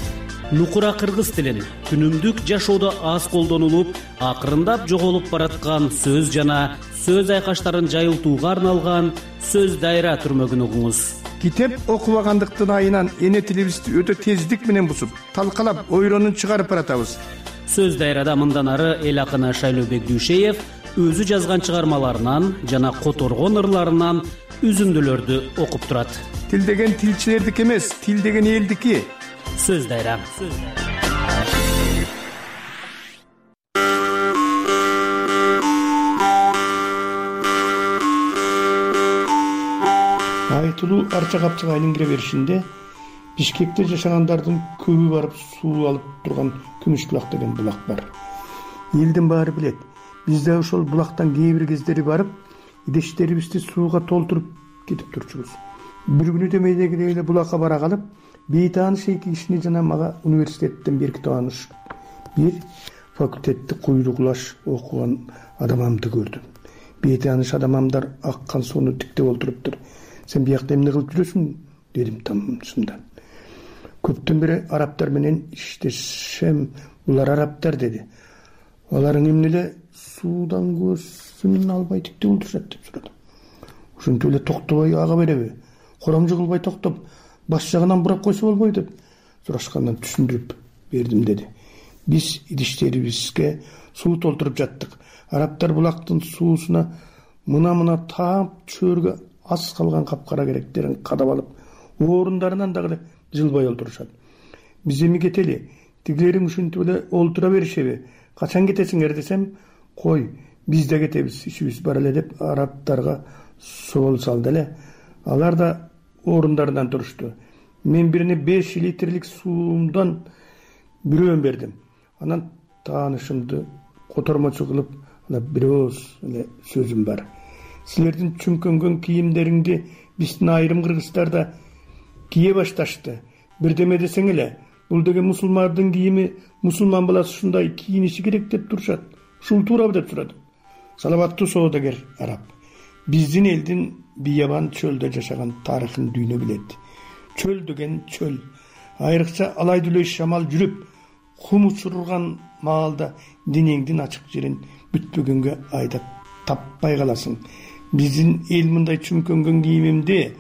Нукура кыргыз тилин күнүмдүк жашоодо аз колдонулуп, акырындап жоголуп бараткан сөз жана сөз айкаштарын жайылтууга арналган сөз дайра түрмөгүн угуңуз. Китеп окубагандыктын айынан эне тилибизди өтө тездик менен бусуп, талкалап, ойронун чыгарып баратабыз. Сөз дайрада мындан ары эл акыны Шайлообек Дүйшеев өзү жазган чыгармаларынан жана которгон ырларынан үзүндүлөрдү окуп турат. Тил деген тилчилердики эмес, тил деген элдики. Сөз дайра. Айтылуу арча капчыгайнын кире беришинде Бишкекте жашагандардын көбү барып суу алып турган Күмүшбулак деген булак бар. Элдин баары билет. Биз да ошол булактан кээ бир кездери барып, идештерибизди сууга толтуруп кетип турчубуз. Бир күнү демейдегидей эле булакка бара калып, бейтааныш эки кишини жана мага университеттен берки тааныш бир факультетти куйругулаш окуган адамамды көрдүм. Бейтааныш адамамдар аккан сууну тиктеп олтуруптур. Сен биякта эмне кылып жүрөсүң? Дедим тамчымдан. Көптөн бери арабтар менен иштешем, булар арабтар деди. Аларың эмне эле суудан көзүн албай тиктеп олтурушат деп сурадым. Ошентип эле токтобой ага береби? Коромжу кылбай токтоп, баш жагынан бурап койсо болбойбу деп сурашкандан түшүндүрүп бердим деди. Биз идиштерибизге суу толтуруп жаттык. Арабтар булактын суусуна мына таап чөөргө аз калган капкара керектерин кадап алып, орундарынан дагы жылбай олтурушат. Биз эми кетели, тигилериң ушинтип эле олтура беришеби? Качан кетесиңер десем, кой, биз да кетебиз, ишибиз бар эле деп арабтарга соол салды эле. Алар да орундарынан турушту. Мен бирине 5 литрлик суумдан бирөөн бердим. Анан таанышымды котормочу кылып, бир ооз эле сөзүм бар. Силердин чүңкөнгөн кийимдериңди биздин айрым кыргыздарда кие башташты. Бирдеме десең эле, бул деген мусулмандын кийими, мусулман баласы ушундай кийиниши керек деп турушат. Ушул туурабы деп сурадым. Саламаттуу соодагер араб. Биздин элдин биябан чөлдө жашаган тарыхын дүйнө билет. Чөл деген чөл. Айрыкча алай дүлөй шамал жүрүп, кум учурган маалда денеңдин ачык жерин бүтпөгөнгө айдап таппай каласың. Биздин эл мындай чүңкөнгөн кийимимди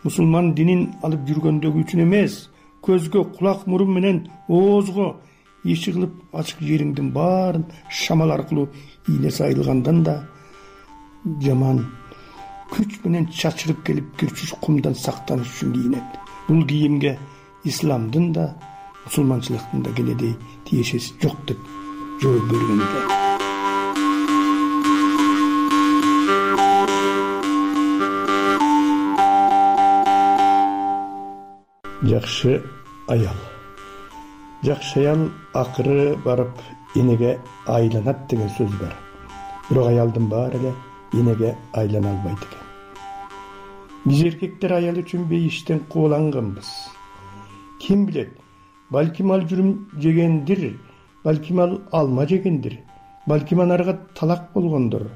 мусулман динин алып жүргөндөгү үчүн эмес, көзгө, кулак, мурун менен оозго иши кылып ачык жериңдин баарын шамал аркылуу ийне сайылгандан да жаман күч менен чачырып келип күрчүш кумдан сактаныш үчүн кийинет. Бул кийимге исламдын да, мусулманчылыктын да кенедей тиешеси жок деп жооп бергенде. Жакшы аял. Жакшы аял акыры барып энеге айланат деген сөз бар. Бирок аялдын баары эле энеге айлана албайт экен. Биз эркектер аял үчүн бейиштен кууланганбыз. Ким билет, балким ал жүрүм жегендир, балким ал алма жегендир, балким анарга талак болгондор.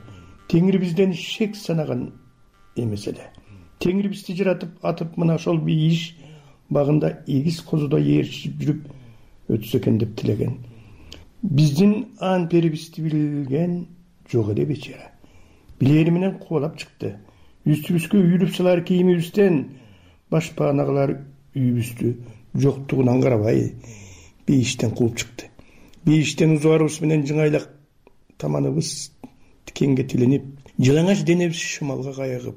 Теңир бизден шек санаган эмес эле. Теңир бизди жаратып атып мына ошол бейиш багында эгиз козудой ээрчип жүрүп өтсө экен деп тилеген. Биздин ан перибизди билген жок эле бечара. Билери менен кубалап чыкты. Үстүбүзгө үйрүп салар кийимибизден башпаанагалар үйүбүздү жоктугунан карабай бейиштен кууп чыкты. Бейиштен узуарыбыз менен жыңайлак таманыбыз тикенге тиленип, жалаңаш денебиз шымалга кайыгып,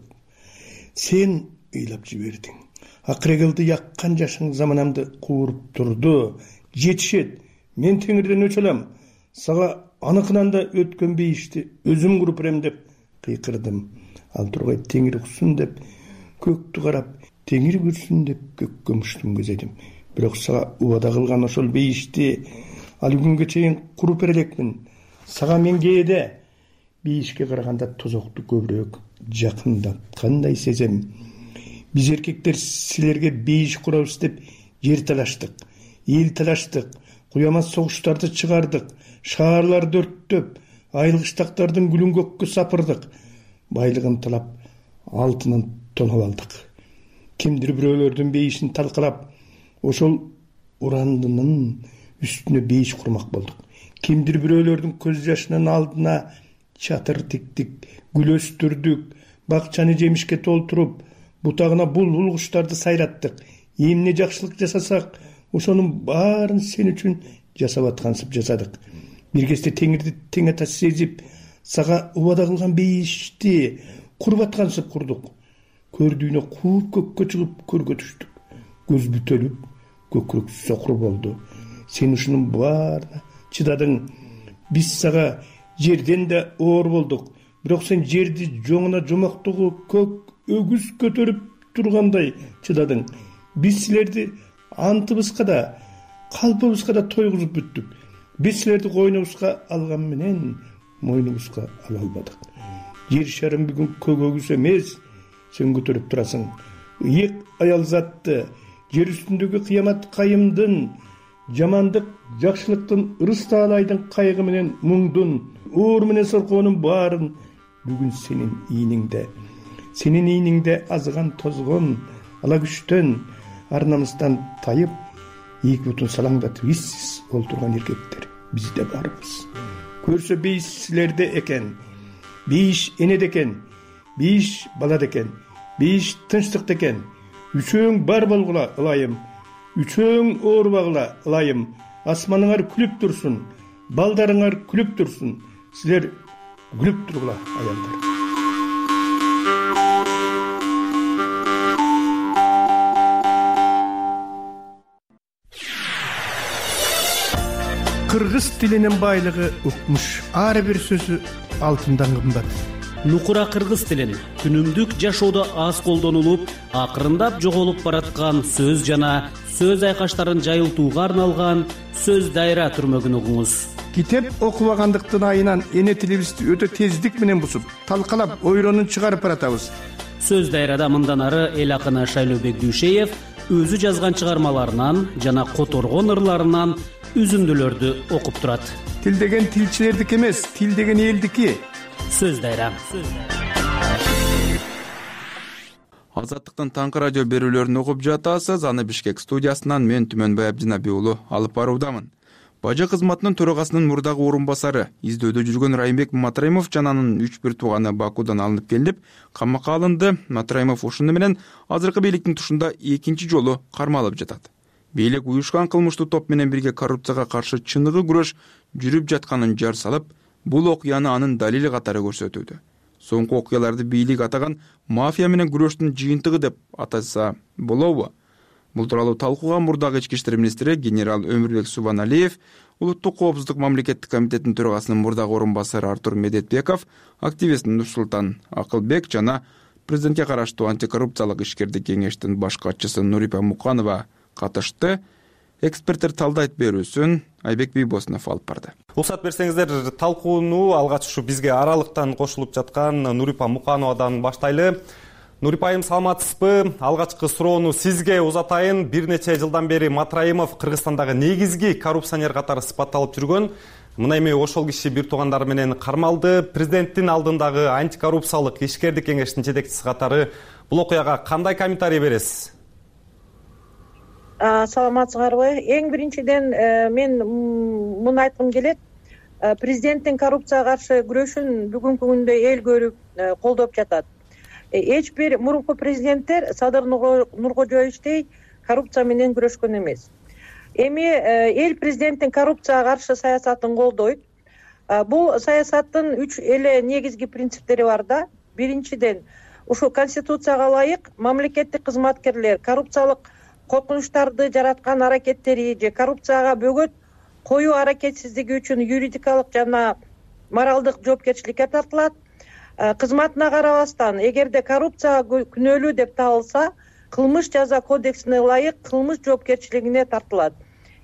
сен ыйлап жибердиң. Акырегылды яккан жашың заманамды кууруп турду. Жетишет, мен теңирден өчө алам. Сага аныкынан да өткөн бейишти өзүм куруп берем деп кыйкырдым. Ал тургай теңир уксун деп көктү карап, теңир көрсүн деп көккө муштум көзөдүм. Бирок сага убада кылган ошол бейишти ал күнгө чейин куруп бере элекмин. Сага мен кээде бейишке караганда тозокту көбүрөөк жакындаткандай сезем. Биз эркектер силерге бейиш курабыз деп жер талаштык, эл талаштык, куямас согуштарды чыгардык, шаарларды өрттөп, айылгыштактардын гүлүн көккө сапырдык, байлыгын талап алтынын тонуп алдык. Кимдир бирөөлөрдүн бейишин талкалап, ошол урандынын үстүнө бейиш курмак болдук. Кимдир бирөөлөрдүн көз жашынын алдына чатыр тиктик, гүл өстүрдүк, бакчаны жемишке толтуруп, бутагына булбул куштарды сайраттык. Эмне жакшылык жасасак, ошонун баарын сен үчүн жасап аткансып жасадык. Бир кезде теңирди тең ата сезип, сага убада кылган бейишти куруп аткансып курдук. Көрдүүнө кууп көккө чыгып көргө түштүк. Көз бүтөлүп, көкүрөк сокур болду. Сен ушунун баарына чыдадың. Биз сага жерден да оор болдук. Бирок сен жерди жоңуна жомоктогу көк өгүз көтөрүп тургандай чыдадың. Биз силерди антыбызга да, калпыбызга да тойгузуп бүттүк. Биз силерди койнубузга алган менен мойнубузга ала албадык. Жер шарым бүгүн көк өгүз эмес, сен көтөрүп турасың. Ыйык аял затты, жер үстүндөгү кыямат кайымдын, жамандык жакшылыктын, ырыс таалайдын кайгы менен муңдун, оор менен соркоонун баарын бүгүн сенин ийниңде. Сенин ийниңде азган тозгон, ала күчтөн, ар намыстан тайып, эки бутун салаңдатып иссиз олтурган эркектер бизде барбыз. Көрсө бейиш силерде экен, бейиш энеде экен, бейиш балада экен, бейиш тынчтыкта экен. Үчөөң бар болгула ылайым, үчөөң оорубагыла ылайым. Асманыңар күлүп турсун, балдарыңар күлүп турсун. Силер күлүп тургула аялдар. Кыргыз тилинин байлыгы укмуш. Ар бир сөзү алтындан кымбат. Нукура кыргыз тилин күнүмдүк жашоодо аз колдонулуп, акырындап жоголуп бараткан сөз жана сөз айкаштарын жайылтууга арналган сөз дайра түрмөгүн угуңуз. Китеп окубагандыктын айынан эне тилибизди өтө тездик менен бузуп, талкалап, ойронун чыгарып баратабыз. Сөз дайрада мындан ары эл акыны Шайлообек Дүйшеев өзү жазган чыгармаларынан жана которгон ырларынан үзүндүлөрдү окуп турат. Тил деген тилчилердики эмес, тил деген элдики. Сөз дайра. Азаттыктын таңкы радио берүүлөрүн угуп жатасыз. Аны Бишкек студиясынан мен Түмөнбай Абдинаби уулу алып баруудамын. Бажы кызматынын төрагасынын мурдагы орун басары, издөөдө жүргөн Райымбек Матраимов жана анын 3-1 тууганы Бакудан алынып келип, камакка алынды. Матраимов ушуну менен азыркы бийликтин тушунда экинчи жолу кармалып жатат. Бийлик уюшкан кылмыштуу топ менен бирге коррупцияга каршы чыныгы күрөш жүрүп жатканын жар салып, бул окуяны анын далили катары көрсөтүүдө. Соңку окуяларды бийлик атаган мафия менен күрөштүн жыйынтыгы деп атаса болобу? Бул тууралуу талкууга мурдагы ички иштер министри генерал Өмүрбек Субаналиев, Улуттук коопсуздук мамлекеттик комитетинин төрагасынын мурдагы орун басары Артур Медетбеков, активист Нурсултан Акылбек жана президентке караштуу антикоррупциялык ишкердик кеңештин баш катчысы Нурипа Муканова катышты. Эксперттер талдайт берүүсүн Айбек Бийбосунов алып барды. Уруксат берсеңиздер, талкууну алгач ушу бизге аралыктан кошулуп жаткан Нурипа Мукановадан баштайлы. Нурипа айым, саламатсызбы? Алгачкы суроону сизге узатайын. Бир нече жылдан бери Матраимов Кыргызстандагы негизги коррупционер катары сыпатталып жүргөн. Мына эми ошол киши бир туугандары менен кармалды. Президенттин алдындагы антикоррупциялык ишкердик кеңештин жетекчиси катары бул окуяга кандай комментарий бересиз? Саламатсыздарбы? Эң биринчиден мен муну айткым келет. Президенттин коррупцияга каршы күрөшүн бүгүнкү күндө эл көрүп колдоп жатат. Эч бир мурунку президенттер Садыр Нуркожоевичтей коррупция менен күрөшкөн эмес. Эми эл президенттин коррупцияга каршы саясатын колдойт. Бул саясаттын 3 эле негизги принциптери бар да. Биринчиден, ушул конституцияга ылайык мамлекеттик кызматкерлер коррупциялык коркунучтарды жараткан аракеттери же коррупцияга бөгөт коюу аракетсиздиги үчүн юридикалык жана моралдык жоопкерчиликке тартылат. Кызматына карабастан, эгерде коррупция күнөөлүү деп табылса, кылмыш жаза кодексине ылайык кылмыш жоопкерчилигине тартылат.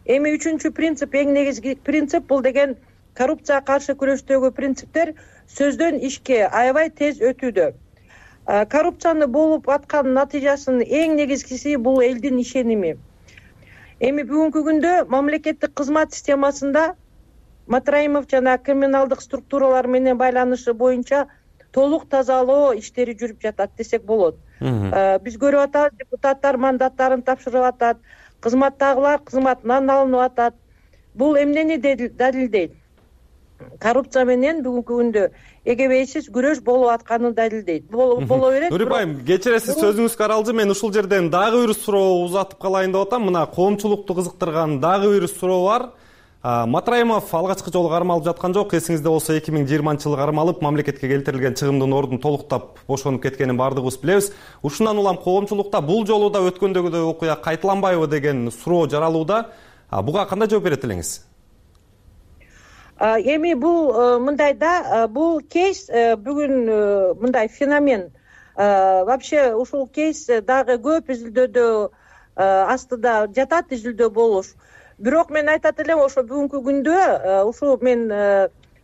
Эми 3-чү принцип, эң негизги принцип, бул деген коррупцияга каршы күрөштөгү принциптер сөздөн ишке аябай тез өтүүдө. Коррупцияны болуп аткан натыйжасынын эң негизгиси бул элдин ишеними. Эми бүгүнкү күндө мамлекеттик кызмат системасында Матраимов жана криминалдык структуралар менен байланышы боюнча толук тазалоо иштери жүрүп жатат десек болот. Биз көрүп атабыз, депутаттар мандаттарын тапшырып атат, кызматтагылар кызматынан алынып атат. Бул эмнени далилдейт? Коррупция менен бүгүнкү күндө эгебейсиз күрөш болуп атканын далилдейт. Боло берет. Нурип айым, кечиресиз, сөзүңүз каралды. Мен ушул жерден дагы бир суроо узатып калайын деп атам. Мына коомчулукту кызыктырган дагы бир суроо бар. Матраимов алгачкы жолу кармалып жаткан жок. Эсиңизде болсо 2020-жылы кармалып, мамлекетке келтирилген чыгымдын ордун толуктап бошонуп кеткенин баардыгыбыз билебиз. Ушундан улам коомчулукта бул жолу да өткөндөгүдөй окуя кайталанбайбы деген суроо жаралууда. Буга кандай жооп берет элеңиз? Эми бул мындай да, бул кейс бүгүн мындай феномен. Вообще ушул кейс дагы көп изилдөөдө астыда жатат, изилдөө болуш. Бирок мен айтат элем, ошо бүгүнкү күндө ушул мен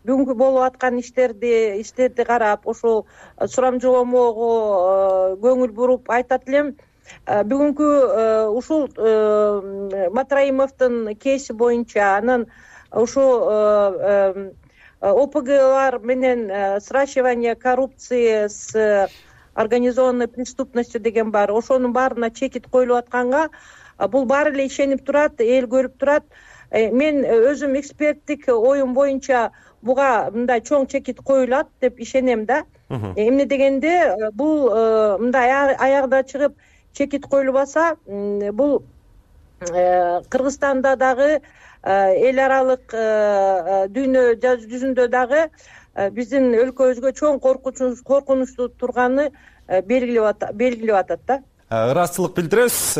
бүгүнкү болуп аткан иштерди карап, ошол сурамжылоомого көңүл буруп айтат элем. Бүгүнкү ушул Матраимовдун кейси боюнча, анан ушул ОПГлар менен сращивание коррупции с организованной преступностью деген бар. Ошонун баарына чекит коюлуп атканга бул баары эле ишенип турат, эл көрүп турат. Мен өзүм эксперттик оюм боюнча буга мындай чоң чекит коюлат деп ишенем да. Эмне дегенде бул мындай аягына чыгып чекит коюлбаса, бул Кыргызстанда дагы эл аралык дүйнө жүзүндө дагы биздин өлкөбүзгө чоң коркунучтуу турганы белгилеп атат да. Ыраазычылык билдиребиз.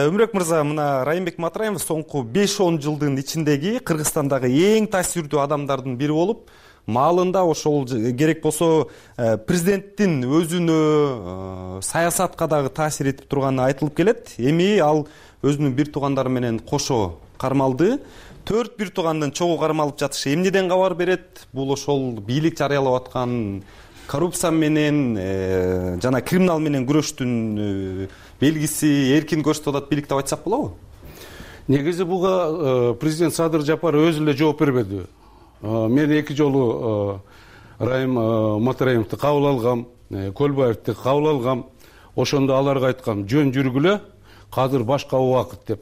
Өмүрөк мырза, мына Райымбек Матраимов соңку 5-10 жылдын ичиндеги Кыргызстандагы эң таасирдүү адамдардын бири болуп, маалында ошол керек болсо президенттин өзүнө, саясатка дагы таасир этип турганы айтылып келет. Эми ал өзүнүн бир туугандары менен кошо кармалды. 4 бир туугандын чогуу кармалып жатышы эмнеден кабар берет? Бул ошол бийлик жарыялап аткан коррупция менен жана криминал менен күрөштүн белгиси, эркин көрсөтүп атат бийлик деп айтсак болобу? Негизи буга президент Садыр Жапаров өзү эле жооп бербеди. Мен 2 жолу Райым Матраимовду кабыл алгам, Көлбаевди кабыл алгам. Ошондо аларга айткам, жөн жүргүлө, азыр башка убакыт деп.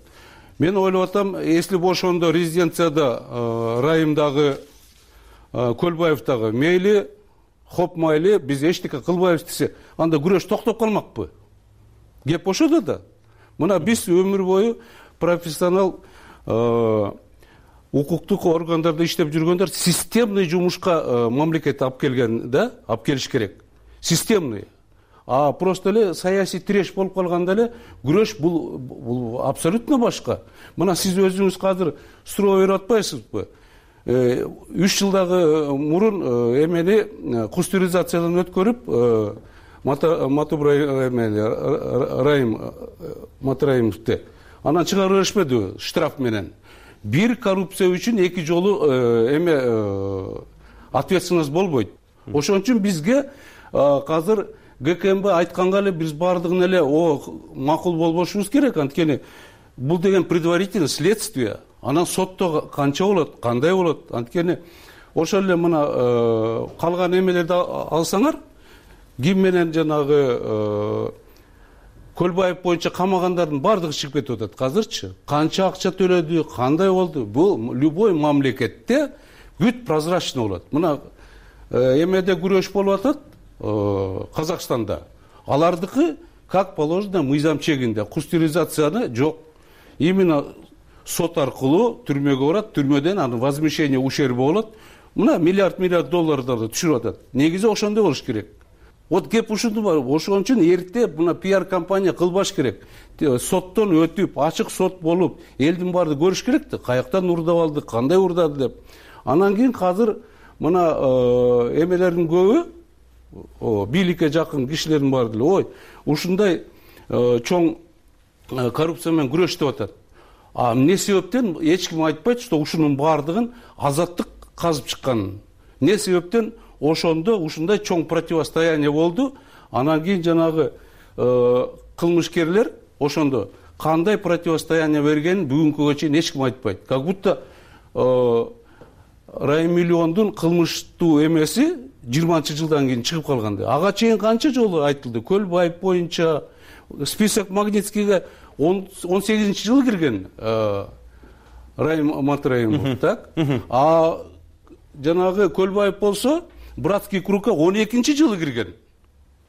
Мен ойлоп атам, если бы ошондо резиденцияда Райымдагы, Көлбаевдагы мейли, хоп майли, биз эчтеке кылбайбыз десе, анда күрөш токтоп калмакпы? Кеп ошодо да. Мына биз өмүр бою профессионал укуктук органдарда иштеп жүргөндөр системный жумушка мамлекет алып келген да, алып келиш керек. Системный. Просто эле саясий треш болуп калганда эле күрөш бул абсолютно башка. Мына сиз өзүңүз азыр суроо берип атпайсызбы? 3 жылдагы мурун эмени кустуризациядан өткөрүп, Райым Матраимовду анан чыгарып беришпеди штраф менен. Бир коррупция үчүн 2 жолу ответственность болбойт. Ошон үчүн бизге азыр ГКМБ айтканга эле биз баардыгын эле макул болбошубуз керек. Анткени бул деген предварительное следствие. Анан сотто канча болот, кандай болот? Анткени ошол эле мына калган эмелерди алсаңар, ким менен жанагы Көлбаев боюнча камагандардын баардыгы чыгып кетип атат азырчы. Канча акча төлөдү, кандай болду? Бул любой мамлекетте бүт прозрачный болот. Мына эмеде күрөш болуп атат Казакстанда. Алардыкы как положено мыйзам чегинде. Кустуризацияны жок. Именно сот аркылуу түрмөгө барат, түрмөдөн аны возмещение ущерба болот. Мына миллиард долларларды түшүрүп атат. Негизи ошондой болуш керек. Кеп ушунду бар. Ошон үчүн эрте мына пиар компания кылбаш керек. Соттон өтүп, ачык сот болуп, элдин баары көрүш керек да, каяктан урдап алды, кандай урдады деп. Анан кийин азыр мына эмелердин көбү бийликке жакын кишилердин баары деле ушундай чоң коррупция менен күрөш деп атат. Эмне себептен эч ким айтпайт, что ушунун баардыгын азаттык казып чыкканын. Эмне себептен ошондо ушундай чоң противостояние болду. Анан кийин жанагы кылмышкерлер ошондо кандай противостояние бергенин бүгүнкүгө чейин эч ким айтпайт. Как будто раймиллиондун кылмыштуу эмеси 20-жылдан кийин чыгып калгандай. Ага чейин канча жолу айтылды. Көлбаев боюнча список Магнитскийге 18-жылы кирген Райым Матраимов, так? А жанагы Көлбаев болсо братский кругка 12-жылы кирген.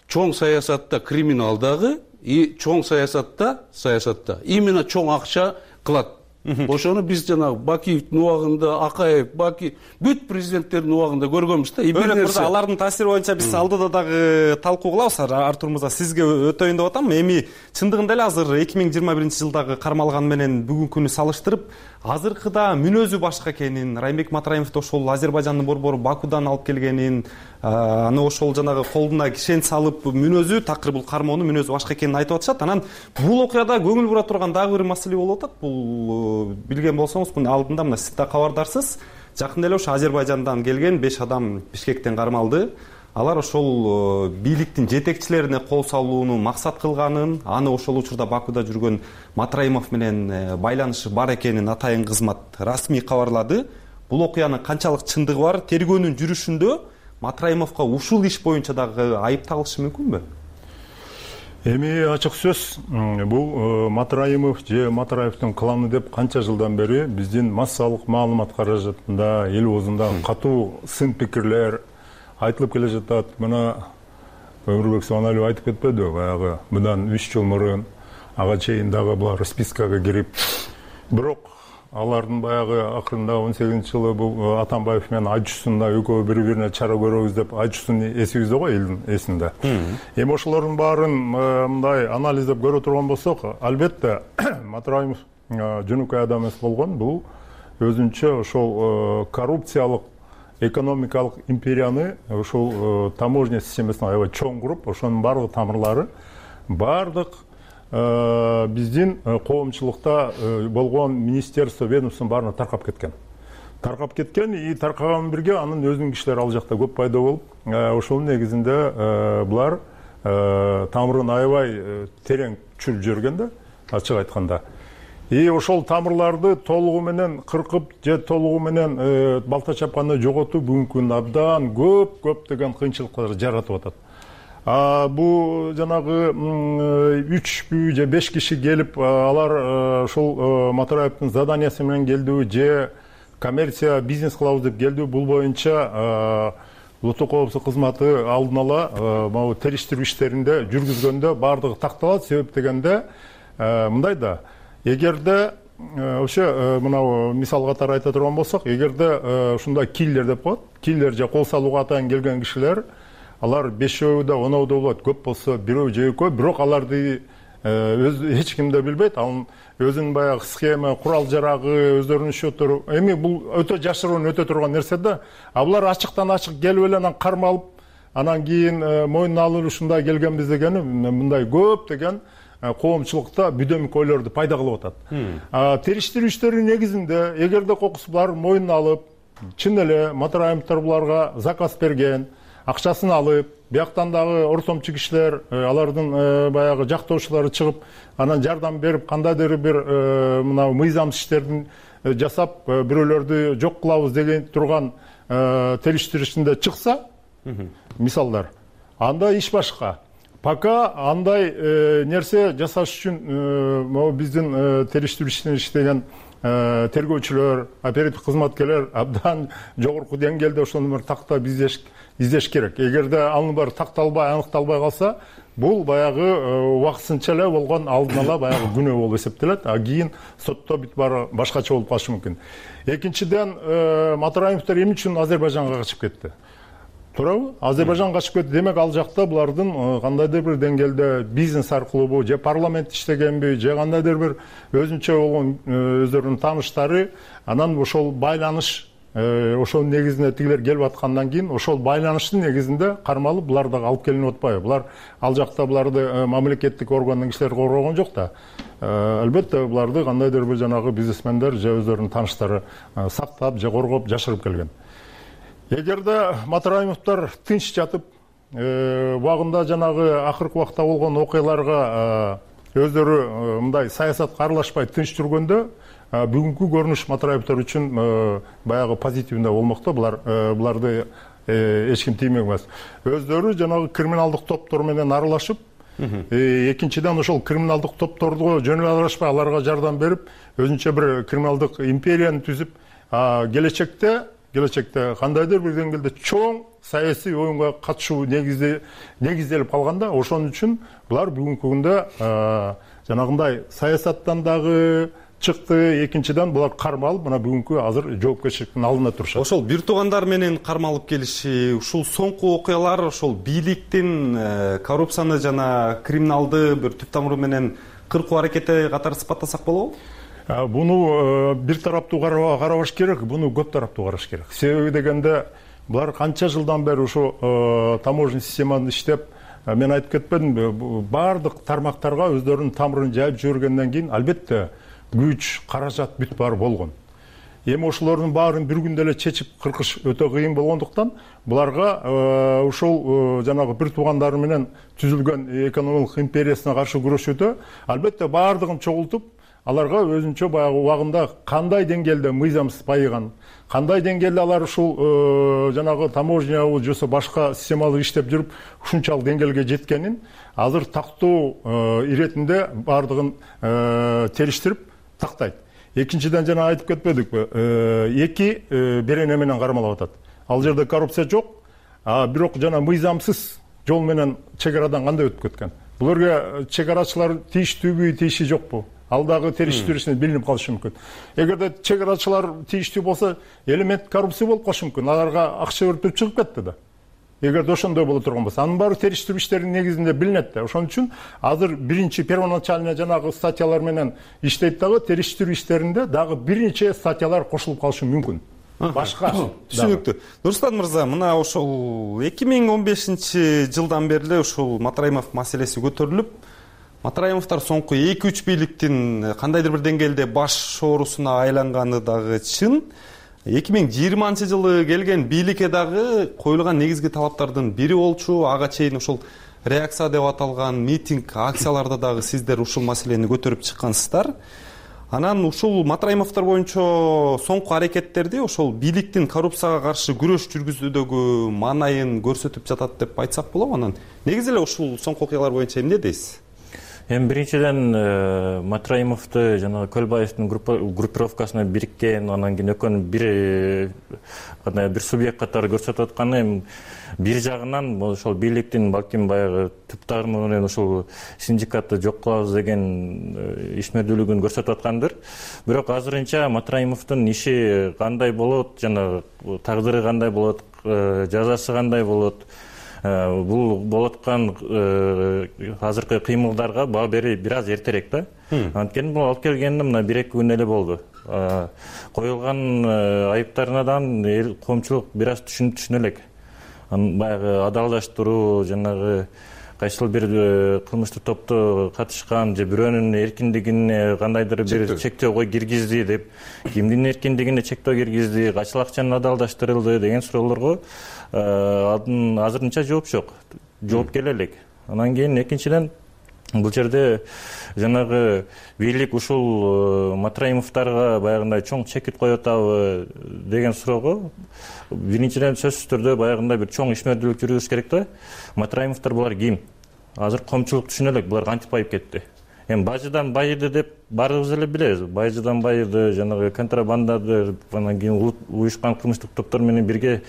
Чоң саясатта криминалдагы и чоң саясатта именно чоң акча кылат. Ошону биз жанагы Бакиевдин убагында, Акаев, бүт президенттердин убагында көргөнбүз да. Мырза, алардын таасири боюнча биз алдыда дагы талкуу кылабыз. Артур мырза, сизге өтөйүн деп атам. Эми чындыгында эле азыр 2021-жылдагы кармалган менен бүгүнкүнү салыштырып, азыркыда мүнөзү башка экенин, Райымбек Матраимовду ошол Азербайжандын борбору Бакудан алып келгенин, аны ошол жанагы колуна кишен салып мүнөзү, такыр бул кармоонун мүнөзү башка экенин айтып атышат. Анан бул окуяда көңүл бура турган дагы бир маселе болуп атат. Бул билген болсоңуз, мына алдында мына сиз да кабардарсыз. Жакында эле ошо Азербайжандан келген 5 адам Бишкектен кармалды. Алар ошол бийликтин жетекчилерине кол салууну максат кылганын, аны ошол учурда Бакуда жүргөн Матраимов менен байланышы бар экенин атайын кызмат расмий кабарлады. Бул окуянын канчалык чындыгы бар? Тергөөнүн жүрүшүндө Матраимовго ушул иш боюнча дагы айып тагылышы мүмкүнбү? Эми ачык сөз, бул Матраимов же Матраевдин кланы деп канча жылдан бери биздин массалык маалымат каражатында, эл оозунда катуу сын пикирлер айтылып келе жатат. Мына Өмүрбек Субаналиев айтып кетпедиби, баягы мындан 3 жыл мурун ага чейин дагы булар спискага кирип, бирок алардын баягы акырында 18-жылы бул Атамбаев менен Айжусунда экөө бири-бирине чара көрөбүз деп, Айжусун эсибизде го, элдин эсинде. Эми ошолордун баарын мындай анализдеп көрө турган болсок, албетте Матраимов жөнөкөй адам эмес болгон. Бул өзүнчө ошол коррупциялык экономикалык империяны ошол таможня системасына аябай чоң куруп, ошонун барлык тамырлары бардык биздин коомчулукта болгон министерство, ведомствонун баарына таркап кеткен и таркаган бирге анын өзүнүн кишилери ал жакта көп пайда болуп, ошонун негизинде булар тамырын аябай терең чүрүп жиберген да, ачык айтканда. И ошол тамырларды толугу менен кыркып же толугу менен балта чапканда жоготуп, бүгүнкү күндө абдан көптөгөн кыйынчылыктар жаратып атат. Бу жанагы 3 же 5 киши келип, алар ошол Матраевдин заданиясы менен келдиби же коммерция бизнес кылабыз деп келдиби, бул боюнча улуттук коопсуздук кызматы алдын ала могу териштирүү иштеринде жүргүзгөндө бардыгы такталат. Себеп дегенде мындай да, эгерде ошо мына мисал катары айта турган болсок, эгерде ушундай киллер деп коет, киллер же кол салууга атайын келген кишилер, алар 5-өө да 10-өө да болот, көп болсо 1-өө же 2-өө, бирок аларды эч ким да билбейт. Анын өзүнүн баягы схема, курал жарагы, өздөрүнүн счёттору. Эми бул өтө жашыруун өтө турган нерсе да. Булар ачыктан ачык келип эле анан кармалып, анан кийин мойнуна алып ушундай келгенбиз дегени мындай көп деген коомчулукта бүдөмүк ойлорду пайда кылып атат. Териштирүү иштеринин негизинде эгерде кокус булар мойнуна алып, чын эле Матраимовдор буларга заказ берген, акчасын алып, бияктан дагы ортомчу кишилер, алардын баягы жактоочулары чыгып, анан жардам берип, кандайдыр бир мына мыйзамсыз иштердин жасап, бирөөлөрдү жок кылабыз деген турган териштирүүсүндө чыкса, мисалдар, анда иш башка. Пока андай нерсе жасаш үчүн могу биздин териштирүү ишин иштеген тергөөчүлөр, оперативдик кызматкерлер абдан жогорку деңгээлде ошону бир тактап издеш керек. Эгерде анын баары такталбай, аныкталбай калса, бул баягы убакытсынча эле болгон алдын ала баягы күнөө болуп эсептелет. Кийин сотто бүт баары башкача болуп калышы мүмкүн. Экинчиден, Матраимовдор эмне үчүн Азербайжанга качып кетти? Туурабы? Азербайжан качып кетти. Демек ал жакта булардын кандайдыр бир деңгээлде бизнес аркылуубу, же парламент иштегенби, же кандайдыр бир өзүнчө болгон өздөрүнүн тааныштары, анан ошол байланыш, ошонун негизинде тигилер келип аткандан кийин, ошол байланыштын негизинде кармалып булар дагы алып келинип атпайбы? Булар ал жакта буларды мамлекеттик органдын кишилери коргогон жок да. Албетте буларды кандайдыр бир жанагы бизнесмендер же өздөрүнүн тааныштары сактап же коргоп жашырып келген. Эгерде Матраимовдор тынч жатып, убагында жанагы акыркы убакта болгон окуяларга өздөрү мындай саясатка аралашпай тынч жүргөндө бүгүнкү көрүнүш Матраевдер үчүн баягы позитивдүү болмокто. Буларды эч ким тиймек эмес. Өздөрү жанагы криминалдык топтор менен аралашып, экинчиден ошол криминалдык топторго жөн эле аралашпай аларга жардам берип, өзүнчө бир криминалдык империяны түзүп, келечекте кандайдыр бир деңгээлде чоң саясий оюнга катышуу негизделип калганда, ошон үчүн булар бүгүнкү күндө жанагындай саясаттан дагы чыкты. Экинчиден булар кармалып, мына бүгүнкү азыр жоопкерчиликтин алдында турушат. Ошол бир туугандар менен кармалып келиши, ушул соңку окуялар ошол бийликтин коррупцияны жана криминалды бир түп тамыры менен кыркуу аракети катары сыпаттасак болобу? Буну бир тараптуу карабаш керек, буну көп тараптуу караш керек. Себеби дегенде булар канча жылдан бери ушу таможенный системаны иштеп, мен айтып кетпедимби, баардык тармактарга өздөрүнүн тамырын жайып жибергенден кийин албетте күч, каражат бүт баары болгон. Эми ошолордун баарын бир күндө эле чечип кыркыш өтө кыйын болгондуктан буларга ушул жанагы бир туугандары менен түзүлгөн экономикалык империясына каршы күрөшүүдө албетте баардыгын чогултуп, аларга өзүнчө баягы убагында кандай деңгээлде мыйзамсыз байыган, кандай деңгээлде алар ушул жанагы таможня жосо башка системалык иштеп жүрүп ушунчалык деңгээлге жеткенин азыр тактоо иретинде баардыгын териштирип тактайт. Экинчиден жана айтып кетпедикпи, эки берене менен кармалап атат. Ал жерде коррупция жок, бирок жана мыйзамсыз жол менен чек арадан кандай өтүп кеткен. Буларга чек арачылар тийиштүүбү, тийиши жокпу? Ал дагы териштирүүсүнө билинип калышы мүмкүн. Эгерде чек арачылар тийиштүү болсо, элемент коррупция болуп калышы мүмкүн. Аларга акча өртүп чыгып кетти да. Эгерде ошондой боло турган болсо, анын баары териштирүү иштеринин негизинде билинет да. Ошон үчүн азыр биринчи первоначальный жанагы статьялар менен иштейт дагы, териштирүү иштеринде дагы бир нече статьялар кошулуп калышы мүмкүн. Башка. Түшүнүктүү. Нурсултан мырза, мына ошол 2015-жылдан бери ушул Матраимов маселеси көтөрүлүп, Матраимовдор соңку 2-3 бийликтин кандайдыр бир деңгээлде баш оорусуна айланганы дагы чын. 2020-жылы келген бийликке дагы коюлган негизги талаптардын бири болчу. Ага чейин ошол реакция деп аталган митинг, акцияларда дагы сиздер ушул маселени көтөрүп чыккансыздар. Анан ушул Матраимовдор боюнча соңку аракеттерди ошол бийликтин коррупцияга каршы күрөш жүргүзүүдөгү маанайын көрсөтүп жатат деп айтсак болобу? Анан негизи эле ушул соңку окуялар боюнча эмне дейсиз? Эми биринчиден Матраимовду жана Көлбаевдин группировкасына бириккен, анан кийин экөөнүн бир субъект катары көрсөтүп атканы бир жагынан ошол бийликтин балким баягы түп тармы менен ушул синдикатты жок кылабыз деген ишмердүүлүгүн көрсөтүп аткандыр. Бирок азырынча Матраимовдун иши кандай болот, жана тагдыры кандай болот, жазасы кандай болот, бул болуп аткан азыркы кыймылдарга баа берүү бир аз эртерээк да. Анткени бул алып келгенде мына 1-2 күн эле болду. Коюлган айыптарынан коомчулук бир аз түшүнө элек. Баягы адалдаштыруу, жанагы кайсыл бир кылмыштык топту катышкан же бирөөнүн эркиндигине кандайдыр бир чектөөгө киргизди деп, кимдин эркиндигине чектөө киргизди, кайсыл акчаны адалдаштырылды деген суроолорго азырынча жооп жок. Жооп келе элек. Анан кийин экинчиден бул жерде жанагы бийлик ушул Матраимовдорго баягындай чоң чекит коюп атабы деген суроого биринчиден сөзсүз түрдө баягындай бир чоң ишмердүүлүк жүргүзүш керек да. Матраимовдор булар ким? Азыр коомчулук түшүнө элек, булар кантип байып кетти. Эми бажыдан байыды деп баарыбыз эле билебиз. Бажыдан байыды, жанагы контрабандады, анан кийин уюшкан кылмыштык топтор менен бирге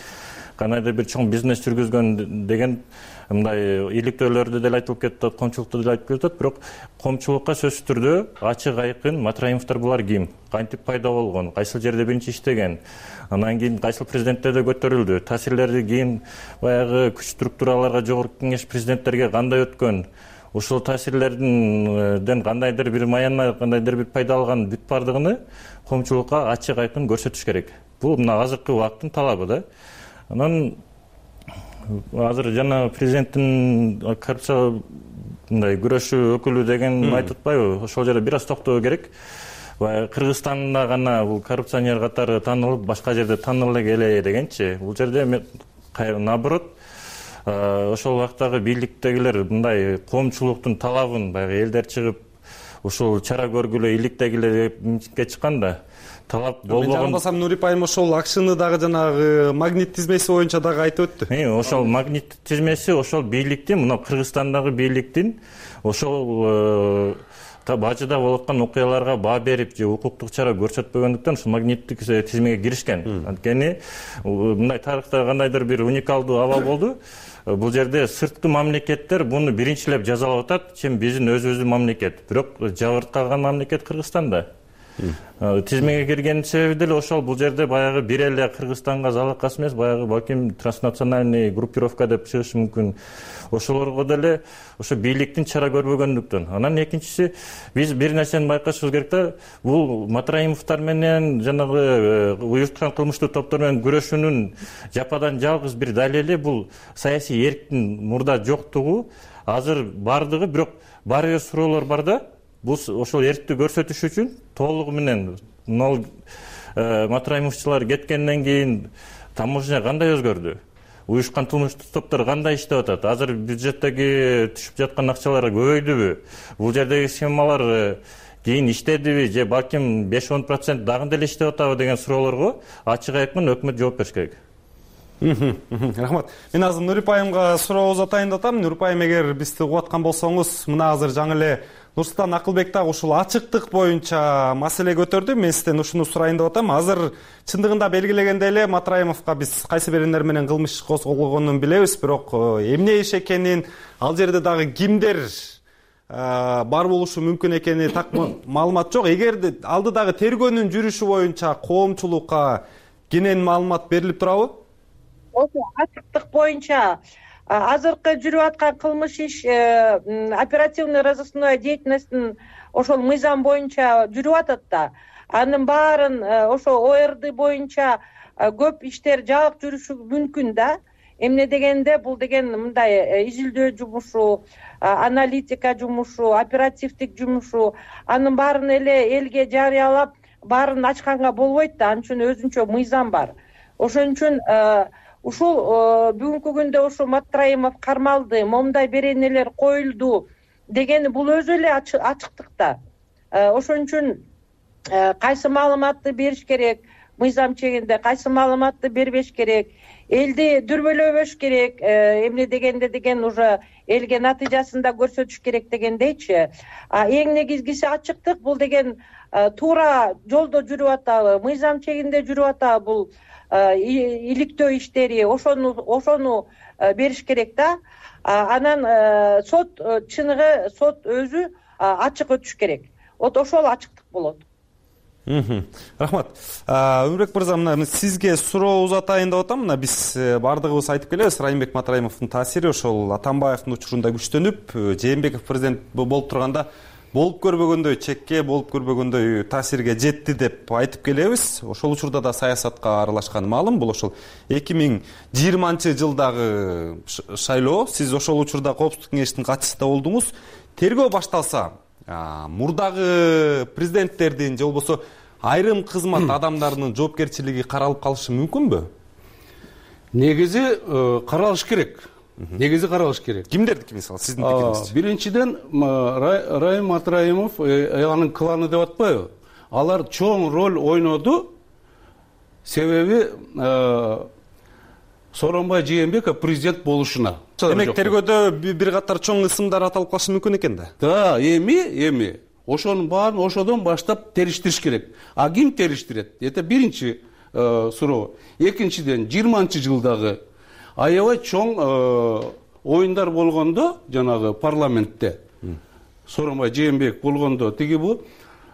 кандайдыр бир чоң бизнес жүргүзгөн деген мындай иликтөөлөрдө деле айтылып кетет, коомчулукта деле айтып кетет. Бирок коомчулукка сөзсүз түрдө ачык айкын Матраимовдор булар ким, кантип пайда болгон, кайсыл жерде биринчи иштеген, анан кийин кайсыл президенттерде көтөрүлдү, таасирлери кийин баягы күч структураларга, жогорку кеңеш президенттерге кандай өткөн, ушул таасирлерден кандайдыр бир маянына, кандайдыр бир пайда алган бүт бардыгын коомчулукка ачык айкын көрсөтүш керек. Бул мына азыркы убакыттын талабы да. Анан азыр жана президенттин коррупция мындай күрөшүү өкүлү деген айтып атпайбы? Ошол жерде бир аз токтоо керек. Кыргызстанда гана бул коррупционер катары таанылып, башка жерде таанылып эле дегенчи. Бул жерде наоборот, ошол убактагы бийликтегилер мындай коомчулуктун талабын, баягы элдер чыгып ушул чара көргүлө иликтегиле деп митингге чыкканда талап болбогон. Мен жагбасам Нурип айым ошол акшыны дагы жанагы магнит тизмеси боюнча дагы айтып өттү. Ошол магнит тизмеси ошол бийликтин, мына Кыргызстандагы бийликтин ошол бажыда болуп аткан окуяларга баа берип же укуктук чара көрсөтпөгөндүктөн ушул магниттик тизмеге киришкен. Анткени мындай тарыхта кандайдыр бир уникалдуу аба болду. Бул жерде сырткы мамлекеттер буну биринчилеп жазалап атат, чем биздин өзүбүздүн мамлекет. Бирок жабырт калган мамлекет Кыргызстанда. Тизмеге кирген себеби деле ошол. Бул жерде баягы бир эле Кыргызстанга залакасы эмес, баягы балким транснациональный группировка деп чыгышы мүмкүн. Ошолорго деле ошо бийликтин чара көрбөгөндүктөн. Анан экинчиси, биз бир нерсени байкашыбыз керек да, бул Матраимовдор менен жанагы уюштурган кылмыштуу топтор менен күрөшүүнүн жападан жалгыз бир далили бул саясий эрктин мурда жоктугу, азыр бардыгы, бирок бар эле суроолор бар да. Бул ошол эркти көрсөтүш үчүн толугу менен Матраимовчулар кеткенден кийин таможня кандай өзгөрдү? Уюшкан кылмыштуу топтор кандай иштеп атат? Азыр бюджеттеги түшүп жаткан акчалар көбөйдүбү? Бул жердеги схемалар кийин иштедиби же балким 5-10% дагы деле иштеп атабы деген суроолорго ачык айткан өкмөт жооп бериш керек. Рахмат. Мен азыр Нурип айымга суроо узатайын деп атам. Нурип айым, эгер бизди угуп аткан болсоңуз, мына азыр жаңы эле Нурсултан Акылбек дагы ушул ачыктык боюнча маселе көтөрдү. Мен сизден ушуну сурайын деп атам. Азыр чындыгында белгилегенде эле Матраимовго биз кайсы биринер менен кылмыш козголгонун билебиз, бирок эмне иш экенин, ал жерде дагы кимдер бар болушу мүмкүн экени так маалымат жок. Эгерде алдыдагы тергөөнүн жүрүшү боюнча коомчулукка кенен маалымат берилип турабы? Ошо ачыктык боюнча азыркы жүрүп аткан кылмыш иш оперативный розыскной деятельностьтин ошол мыйзам боюнча жүрүп атат да. Анын баарын ошо ОРД боюнча көп иштер жаап жүрүшү мүмкүн да. Эмне дегенде бул деген мындай изилдөө жумушу, аналитика жумушу, оперативдик жумушу, анын баарын эле элге жарыялап баарын ачканга болбойт да. Анын үчүн өзүнчө мыйзам бар. Ошон үчүн ушул бүгүнкү күндө ушу Матраимов кармалды, момундай беренелер коюлду дегени бул өзү эле ачыктыкта. Ошон үчүн кайсы маалыматты бериш керек, мыйзам чегинде кайсы маалыматты бербеш керек, элди дүрбөлөбөш керек, эмне дегенде деген уже элге натыйжасын да көрсөтүш керек дегендейчи. Эң негизгиси ачыктык. Бул деген туура жолдо жүрүп атабы, мыйзам чегинде жүрүп атабы, бул иликтөө иштери, ошону бериш керек да. Анан сот чыныгы, сот өзү ачык өтүш керек. Ошол ачыктык болот. Рахмат. Өмүрбек мырза, мына сизге суроо узатайын деп атам. Мына биз бардыгыбыз айтып келебиз, Райымбек Матраимовдун таасири ошол Атамбаевдин учурунда күчтөнүп, Жээнбеков президент болуп турганда болуп көрбөгөндөй чекке, болуп көрбөгөндөй таасирге жетти деп айтып келебиз. Ошол учурда да саясатка аралашканы маалым. Бул ошол 2020-жылдагы шайлоо. Сиз ошол учурда Коопсуздук кеңешинин катчысы болдуңуз. Тергөө башталса, мурдагы президенттердин же болбосо айрым кызмат адамдарынын жоопкерчилиги каралып калышы мүмкүнбү? Негизи каралыш керек. Кимдердики, мисалы, сиздин пикириңизчи? Биринчиден, Райым Матраимов, анын кланы деп атпайбы? Алар чоң роль ойноду. Себеби Сооронбай Жээнбеков президент болушуна. Демек, тергөөдө бир катар чоң ысымдар аталып калышы мүмкүн экен да? Да, эми ошонун баарын ошодон баштап териштириш керек. А ким териштирет? Это биринчи суроо. Экинчиден, 20-жылдагы аябай чоң оюндар болгондо, жанагы парламентте, Сооронбай Жээнбеков болгондо, тиги бул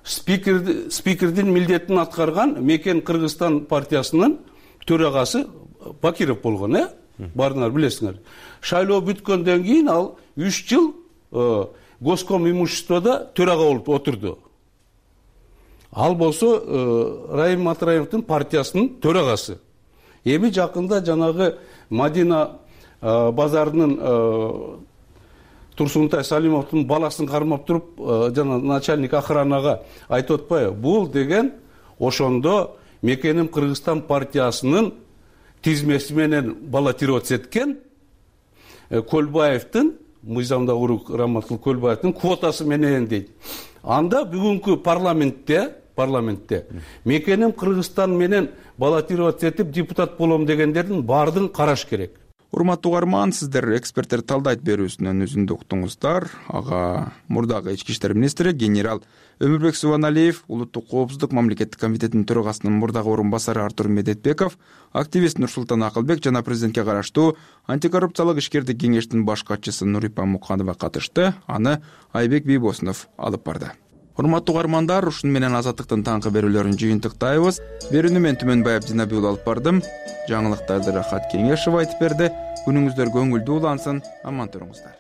спикердин милдетин аткарган Мекен Кыргызстан партиясынын төрагасы Бакиров болгон, баарыңар билесиңер. Шайлоо бүткөндөн кийин ал 3 жыл Госком имуществодо төрага болуп отурду. Ал болсо Райым Матраимовдун партиясынын төрагасы. Эми жакында жанагы Мадина базарынын Турсунтай Салимовдун баласын кармап туруп, жана начальник охранага айтып атпайбы? Бул деген ошондо Мекеним Кыргызстан партиясынын тизмеси менен баллотироваться эткен Көлбаевдин мыйзамда урук Раматкул Көлбаевдин квотасы менен дейт. Анда бүгүнкү парламентте мекеним Кыргызстан менен баллотироваться этип депутат болом дегендердин баардыгын караш керек. Урматтуу угарман, сиздер эксперттер талдайт берүүсүнөн үзүндү уктуңуздар. Ага мурдагы ички иштер министри генерал Өмүрбек Субаналиев, улуттук коопсуздук мамлекеттик комитетинин төрагасынын мурдагы орун басары Артур Медетбеков, активист Нурсултан Акылбек жана президентке караштуу антикоррупциялык ишкердик кеңештин баш катчысы Нурипа Муканова катышты. Аны Айбек Бийбосунов алып барды. Урматтуу угармандар, ушуну менен Азаттыктын таңкы берүүлөрүн жыйынтыктайбыз. Берүүнү мен Түмөнбай Абдинабиул алып бардым. Жаңылыктарды Рахат Кеңешов айтып берди. Күнүңүздөр көңүлдүү улансын. Аман туруңуздар.